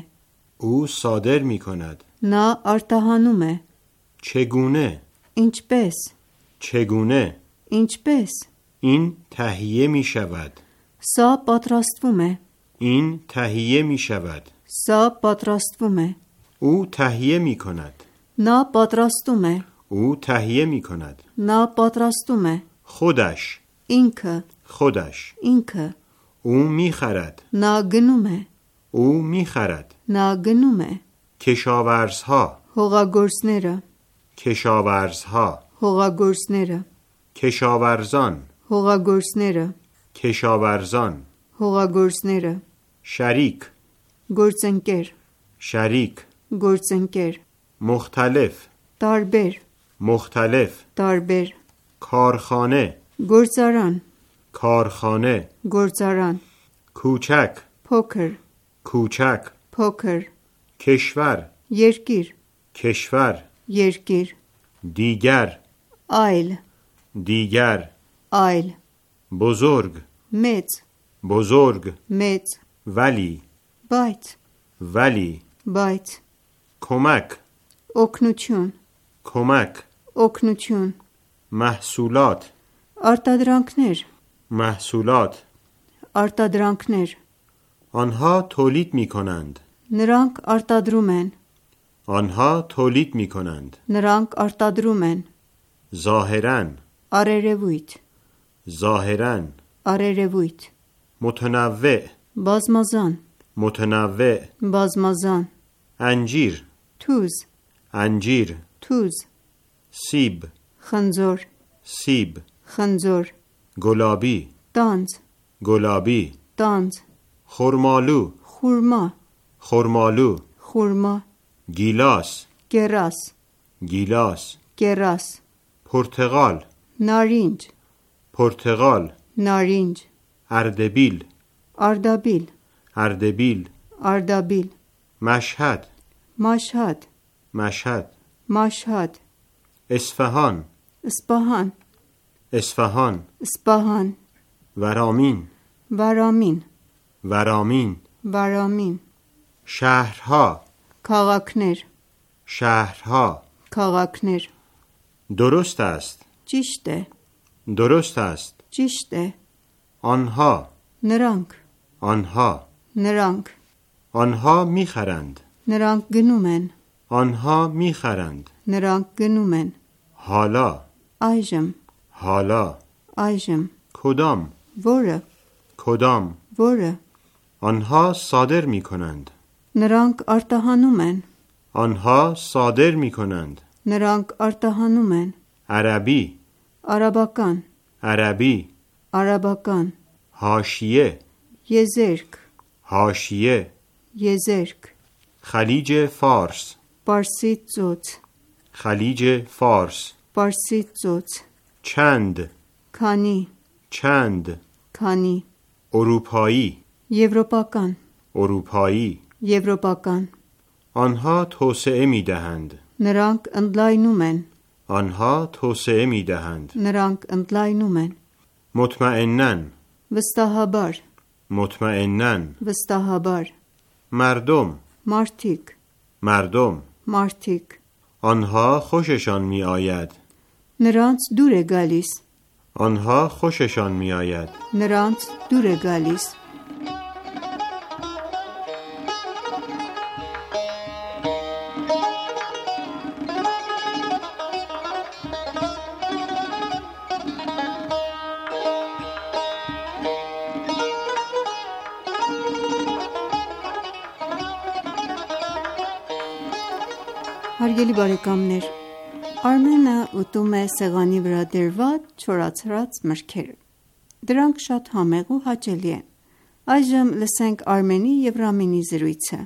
او صادر می کند նա արտահանում է, چگونه ինչպես, چگونه ինչպես, این تهیه می شود սա պատրաստվում է, این تهیه می شود սա պատրաստվում է, او تهیه می کند նա պատրաստում է, او تهیه می کند նա պատրաստում է, خودش ինքը, خودش ինքը, او می خرد նա գնում է, او می خرد նա گնում է, کشاورزها հողագործները, کشاورزها հողագործները, کشاورزان հողագործները, کشاورزان հողագործները, شریک գործընկեր, شریک Գործընկեր مختلف տարբեր مختلف տարբեր کارخانه գործարան کارخانه գործարան کوچک փոքր کوچک փոքր کشور երկիր کشور երկիր دیگر այլ دیگر այլ بزرگ մեծ بزرگ մեծ ولی բայց کمک օգնություն کمک օգնություն محصولات արտադրանքներ محصولات արտադրանքներ آنها تولید می کنند նրանք արտադրում են آنها تولید می کنند նրանք արտադրում են ظاهراً արերևույթ ظاهراً արերևույթ متنوع բազմազան متنوع բազմազան انجیر թուզ انجیر թուզ سیب խնձոր سیب խնձոր گلابی տանձ گلابی տանձ خرمالو խուրմա خرمالو խուրմա گیلاس կերաս گیلاس կերաս پرتقال նարինջ پرتقال նարինջ اردبیل արդաբիլ اردبیل արդաբիل مشهد մաշհադ مشهد մաշհադ اصفهان սպահան اصفهان սպահան ورامین վարամին ورامین վարամին شهرها քաղաքներ شهرها քաղաքներ درست است ճիշտ է درست است ճիշտ է آنها նրանք آنها նրանք آنها میخرند նրանք գնում են آنها میخرند նրանք گնում են حالا այժմ حالا այժմ کدام որը کدام որը آنها صادر میکنند նրանք արտահանում են آنها صادر میکنند նրանք արտահանում են عربی արաբական عربی արաբական حاشیه եզերք حاشیه եզերք خلیج فارس պարսից ծոց خلیج فارس պարսից ծոց چند քանի چند քանի اروپایی եվրոպական اروپایی եվրոպական آنها توسعه میدهند նրանք ընդլայնում են آنها توسعه میدهند նրանք ընդլայնում են مطمئناً վստահաբար مطمئناً վստահաբար مردم մարդիկ مردم մարդիկ آنها خوششان می آید նրանց դուր է գալիս آنها خوششان می آید նրանց դուր է գալիս Հարգելի բարեկամներ, Արմենը ուտում է սեղանի վրա դրված չորացրած մրգեր։ Դրանք շատ համեղ ու հաճելի են։ Այժմ լսենք Արմենի և Ռամինի զրույցը։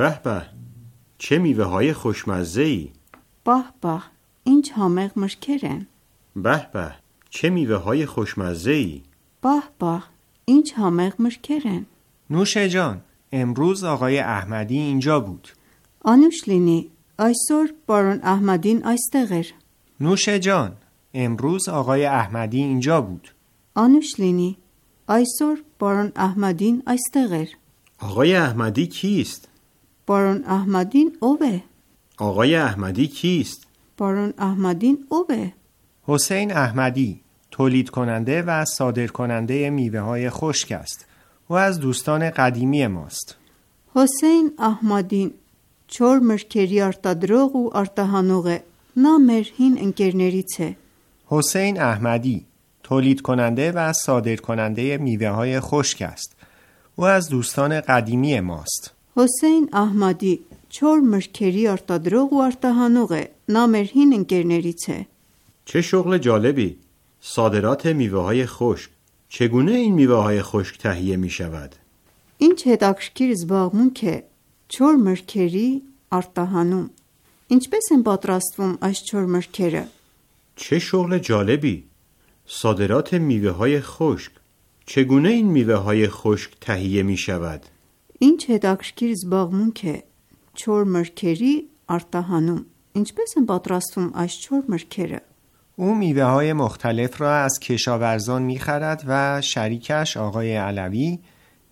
به به چه میوه های خوشمزه ای Պահ, պահ, ինչ համեղ մրգեր են։ به به چه میوه های خوشمزه ای Պահ, պահ, ինչ համեղ մրգեր են։ نوش جان، امروز آقای احمدی اینجا بود. Անուշ լինի, այսօր պարոն Ահմադին այստեղ էր։ نوش جان، امروز آقای احمدی اینجا بود. Անուշ լինի, այսօր պարոն Ահմադին այստեղ էր։ آقای احمدی کیست Պարոն Ահմադին ով է։ آقای احمدی کیست Պարոն Ահմադին ով է։ حسین احمدی تولید کننده و صادر کننده میوه های خشک است. او از دوستان قدیمی ماست. Հոսեյն Ահմադին չոր մրգերի արտադրող ու արտահանող է։ Նա մեր հին ընկերներից է։ حسین احمدی تولید کننده و صادر کننده میوه های خشک است. او از دوستان قدیمی ماست. Հոսեյն Ահմադի չոր մրգերի արտադրող ու արտահանող է։ Նա մեր հին ընկերներից է։ چه شغل جالبی صادرات میوه های خشک چگونه این میوه های خشک تهیه می شود Ինչ հետաքրքիր զբաղմունք է չոր մրգերի արտահանում։ Ինչպես են պատրաստվում այս 4 մրգերը։ چه شغل جالبی! صادرات میوه‌های خشک. چگونه این میوه‌های خشک تهیه می‌شود؟ Ինչ հետաքրքիր զբաղմունք է 4 մրգերի արտահանում։ Ինչպես են պատրաստվում այս 4 մրգերը։ او میوه های مختلف را از کشاورزان می‌خرد و شریکش آقای علوی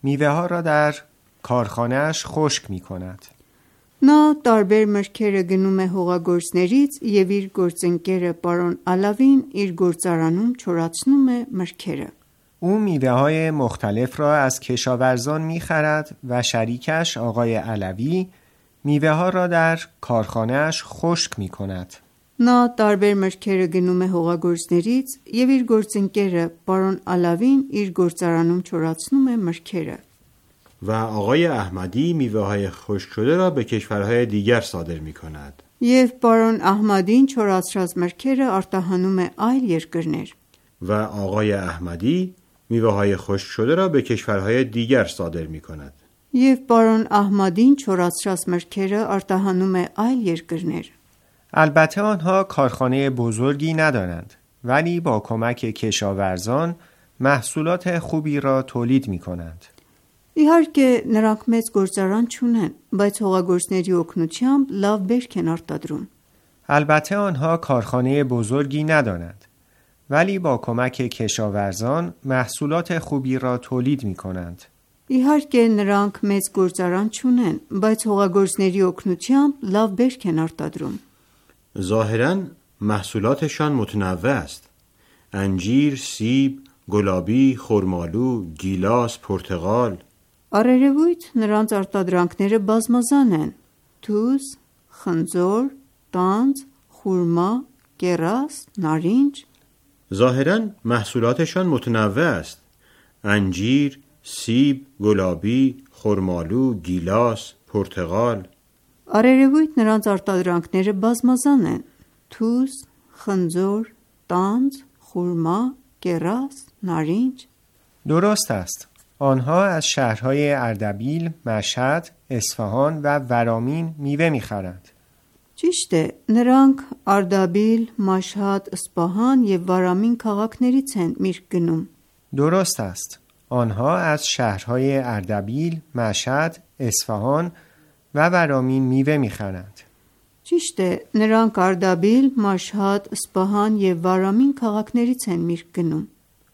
میوه ها را در کارخانه‌اش خشک می‌کند. Նա տարբեր մրգերը գնում է հողագործներից եւ իր գործընկերը պարոն Ալավին իր գործարանում չորացնում է մրգերը։ او میوه های مختلف را از کشاورزان می‌خرد و شریکش آقای علوی میوه ها را در کارخانه‌اش خشک می‌کند. Նա տարբեր մրգերը գնում է հողագործներից եւ իր գործընկերը պարոն Ալավին իր գործարանում չորացնում է մրգերը։ و آقای احمدی میوه‌های خشک شده را به کشورهای دیگر صادر می‌کند. Եվ պարոն Ահմադին չորացրած մրգերը արտահանում է այլ երկրներ։ و آقای احمدی میوه‌های خشک شده را به کشورهای دیگر صادر می‌کند. Եվ պարոն Ահմադին չորացրած մրգերը արտահանում է այլ երկրներ։ البته آنها کارخانه بزرگی ندارند ولی با کمک کشاورزان محصولات خوبی را تولید می‌کنند. Իհարկե նրանք մեծ գործարան չունեն, բայց հողագործների օգնությամբ լավ բերք են արտադրում։ البته آنها کارخانه بزرگی ندارند ولی با کمک کشاورزان محصولات خوبی را تولید می‌کنند. Իհարկե նրանք մեծ գործարան չունեն, բայց հողագործների օգնությամբ լավ բերք են արտադրում։ ظاهراً محصولاتشان متنوع است. انجیر، سیب، گلابی، خرمالو، گیلاس، پرتقال. Առերևույթ նրանց արտադրանքները բազմազան են՝ թուզ, խնձոր, տանձ, խուրմա, կեռաս, նարինջ։ ظاهراً محصولاتشان متنوع است. انجیر، سیب، گلابی، خرمالو، گیلاس، پرتقال. Առերևույթ նրանց արտադրանքները բազմազան են՝ թուզ, խնձոր, տանձ, խուրմա, կեռաս, նարինջ։ درست است. آنها از شهرهای اردبیل، مشهد، اصفهان و ورامین میوه می‌خرند. Ճիշտ է, նրանք Արդաբիլ, Մաշհադ, Սպահան եւ Վարամին քաղաքներից են միրգ գնում։ درست است. آنها از شهرهای اردبیل، مشهد، اصفهان و ورامین میوه می‌خرند. Ճիշտ է, նրանք Արդաբիլ, Մաշհադ, Սպահան եւ Վարամին քաղաքներից են միրգ գնում։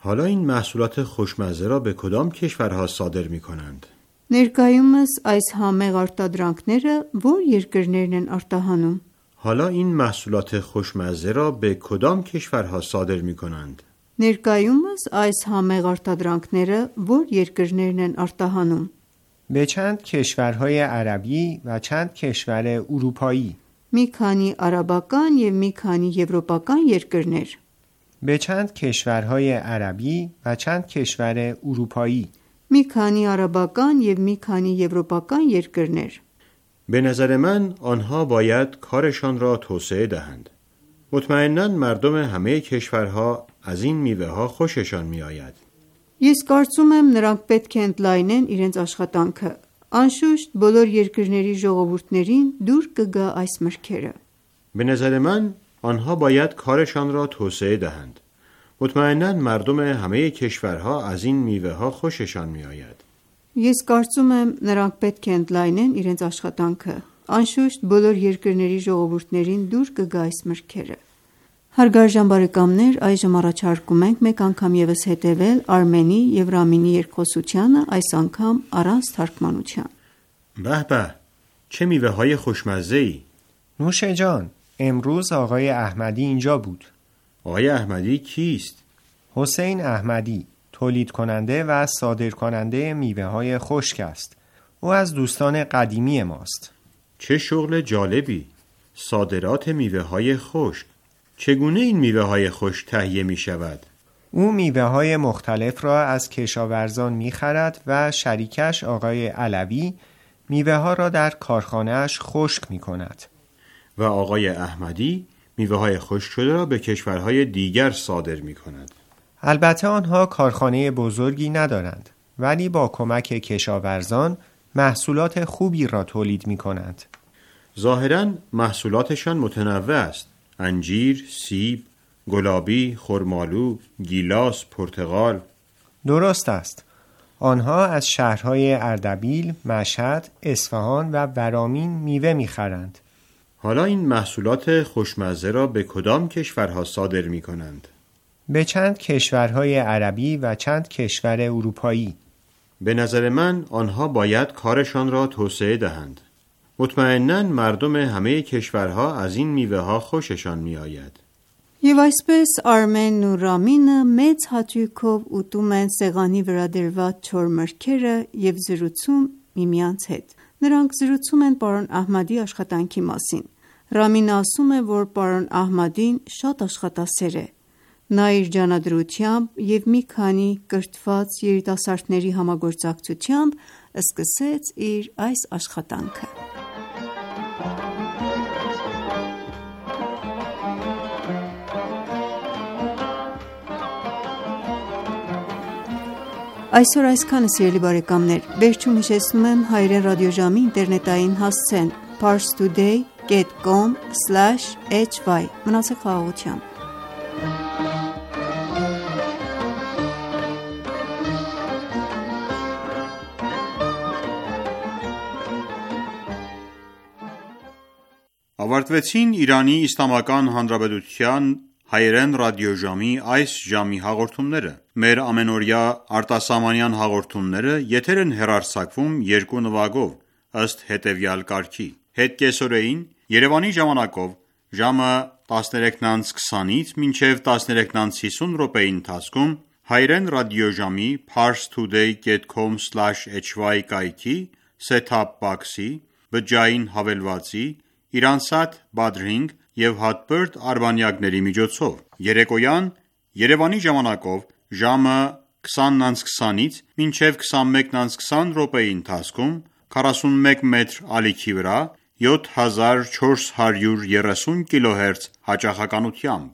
حالا این محصولات خوشمزه را به کدام کشورها صادر می‌کنند؟ Ներկայումս այս համեղ արտադրանքները ո՞ր երկրներն են արտահանում։ حالا این محصولات خوشمزه را به کدام کشورها صادر می‌کنند؟ Ներկայումս այս համեղ արտադրանքները ո՞ր երկրներն են արտահանում։ به چند کشورهای عربی و چند کشور اروپایی. Մի քանի արաբական եւ մի քանի եվրոպական երկրներ։ به چند کشورهای عربی و چند کشور اروپایی. Մի քանի արաբական եւ մի քանի եվրոպական երկրներ։ به نظر من آنها باید کارشان را توسعه دهند. مطمئناً مردم همه کشورها از این میوه‌ها خوششان می‌آید. Ես կարծում եմ նրանք պետք է ընդլայնեն իրենց աշխատանքը։ Անշուշտ բոլոր երկրների ժողովուրդներին դուր կգա այս մրգերը։ به نظر من آنها باید کارشان را توسعه دهند. مطمئناً مردم همه کشورها از این میوه‌ها خوششان می‌آید. Ես կարծում եմ նրանք պետք է ընդլայնեն իրենց աշխատանքը։ Անշուշտ բոլոր երկրների ժողովուրդներին դուր կգա այս մրգերը։ Հարգարժան բարեկամներ, այժմ առաջարկում ենք մեկ անգամ եւս հետևել Արմենի եւ Ռամինի երկխոսությանը, այս անգամ առանց թարգմանության։ به به، چه میوه‌های خوشمزه‌ای! نوش جان، امروز آقای احمدی اینجا بود. آقای احمدی کیست؟ حسین احمدی، تولید کننده و صادر کننده میوه های خشک است. او از دوستان قدیمی ماست. چه شغل جالبی! صادرات میوه‌های خشک. چگونه این میوه‌های خشک تهیه می‌شود؟ او میوه های مختلف را از کشاورزان می‌خرد و شریکش آقای علوی میوه ها را در کارخانه‌اش خشک می‌کند. و آقای احمدی میوه‌های خشک شده را به کشورهای دیگر صادر می‌کند. البته آنها کارخانه بزرگی ندارند ولی با کمک کشاورزان محصولات خوبی را تولید می‌کنند. ظاهراً محصولاتشان متنوع است. انجیر، سیب، گلابی، خرمالو، گیلاس، پرتقال. درست است. آنها از شهرهای اردبیل، مشهد، اصفهان و ورامین میوه میخرند. حالا این محصولات خوشمزه را به کدام کشورها صادر می کنند؟ به چند کشورهای عربی و چند کشور اروپایی. به نظر من آنها باید کارشان را توسعه دهند. مطمئناً مردم همه کشورها از این میوه ها خوششان می آید. Եվ այսպես Արմենն ու Ռամինը մեծ հաճույքով ուտում են սեղանի վրա դրված չոր մրգերը և զրուցում միմյանց հետ։ Նրանք զրուցում են պարոն Ահմադի աշխատանքի մասին։ Ռամինը ասում է, որ պարոն Ահմադին շատ աշխատասեր է։ Նա իր ջանադրությամբ և մի քանի կրթված երիտասարդների համագործակցությամբ սկսեց իր այս աշխատանքը։ Այսօր այսքանը, սիրելի բարեկամներ, վերջում հիշեցնում եմ հայրեն ռադիոժամի ինտերնետային հասցեն parstoday.com/hy Մնացեք խաղաղությամբ։ Ավարտվեցին Իրանի Իսլամական Հանրապետության հայերեն ռադիոժամի այս ժամի հաղորդումները։ Մեր ամենօրյա արտասահմանյան հաղորդումները եթեր են հեռարձակվում երկու նվագով, ըստ հետևյալ կարգի. Հետ կեսօրեին Երևանի ժամանակով ժամը 13:20-ից մինչև 13:50 րոպեի ընթացքում հայերեն ռադիոժամի parstoday.com/hy կայքի set-top box-ի, բջջային հավելվածի, Իրանսատ Badring և հատբերդ արբանյակների միջոցով։ Երեկոյան Երևանի ժամանակով ժամը 20:20-ից մինչև 21:20 րոպեի ընթացքում 41 մետր ալիքի վրա 7430 կիլոհերց հաճախականությամբ։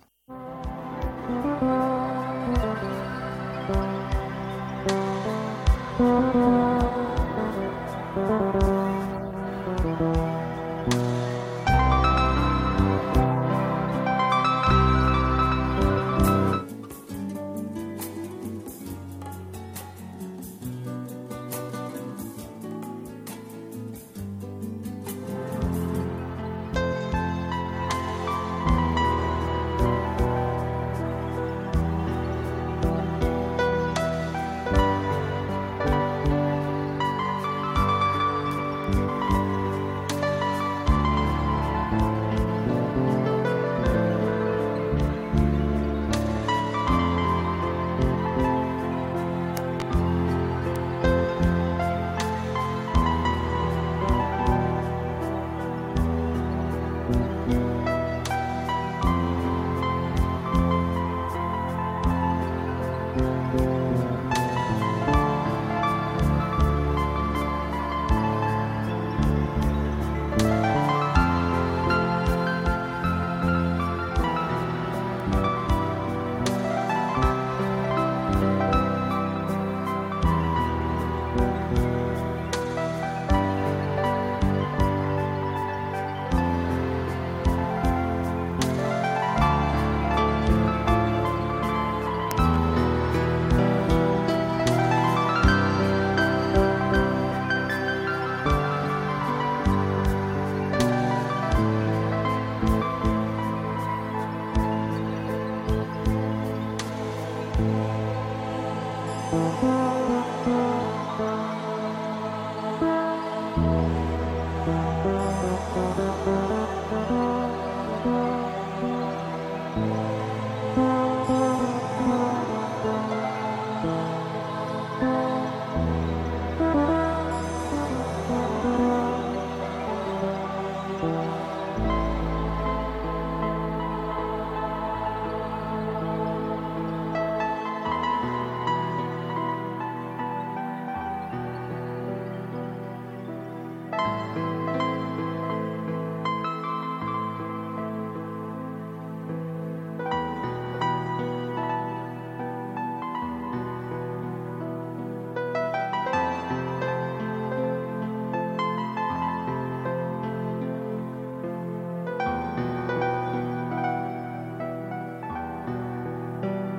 Thank you.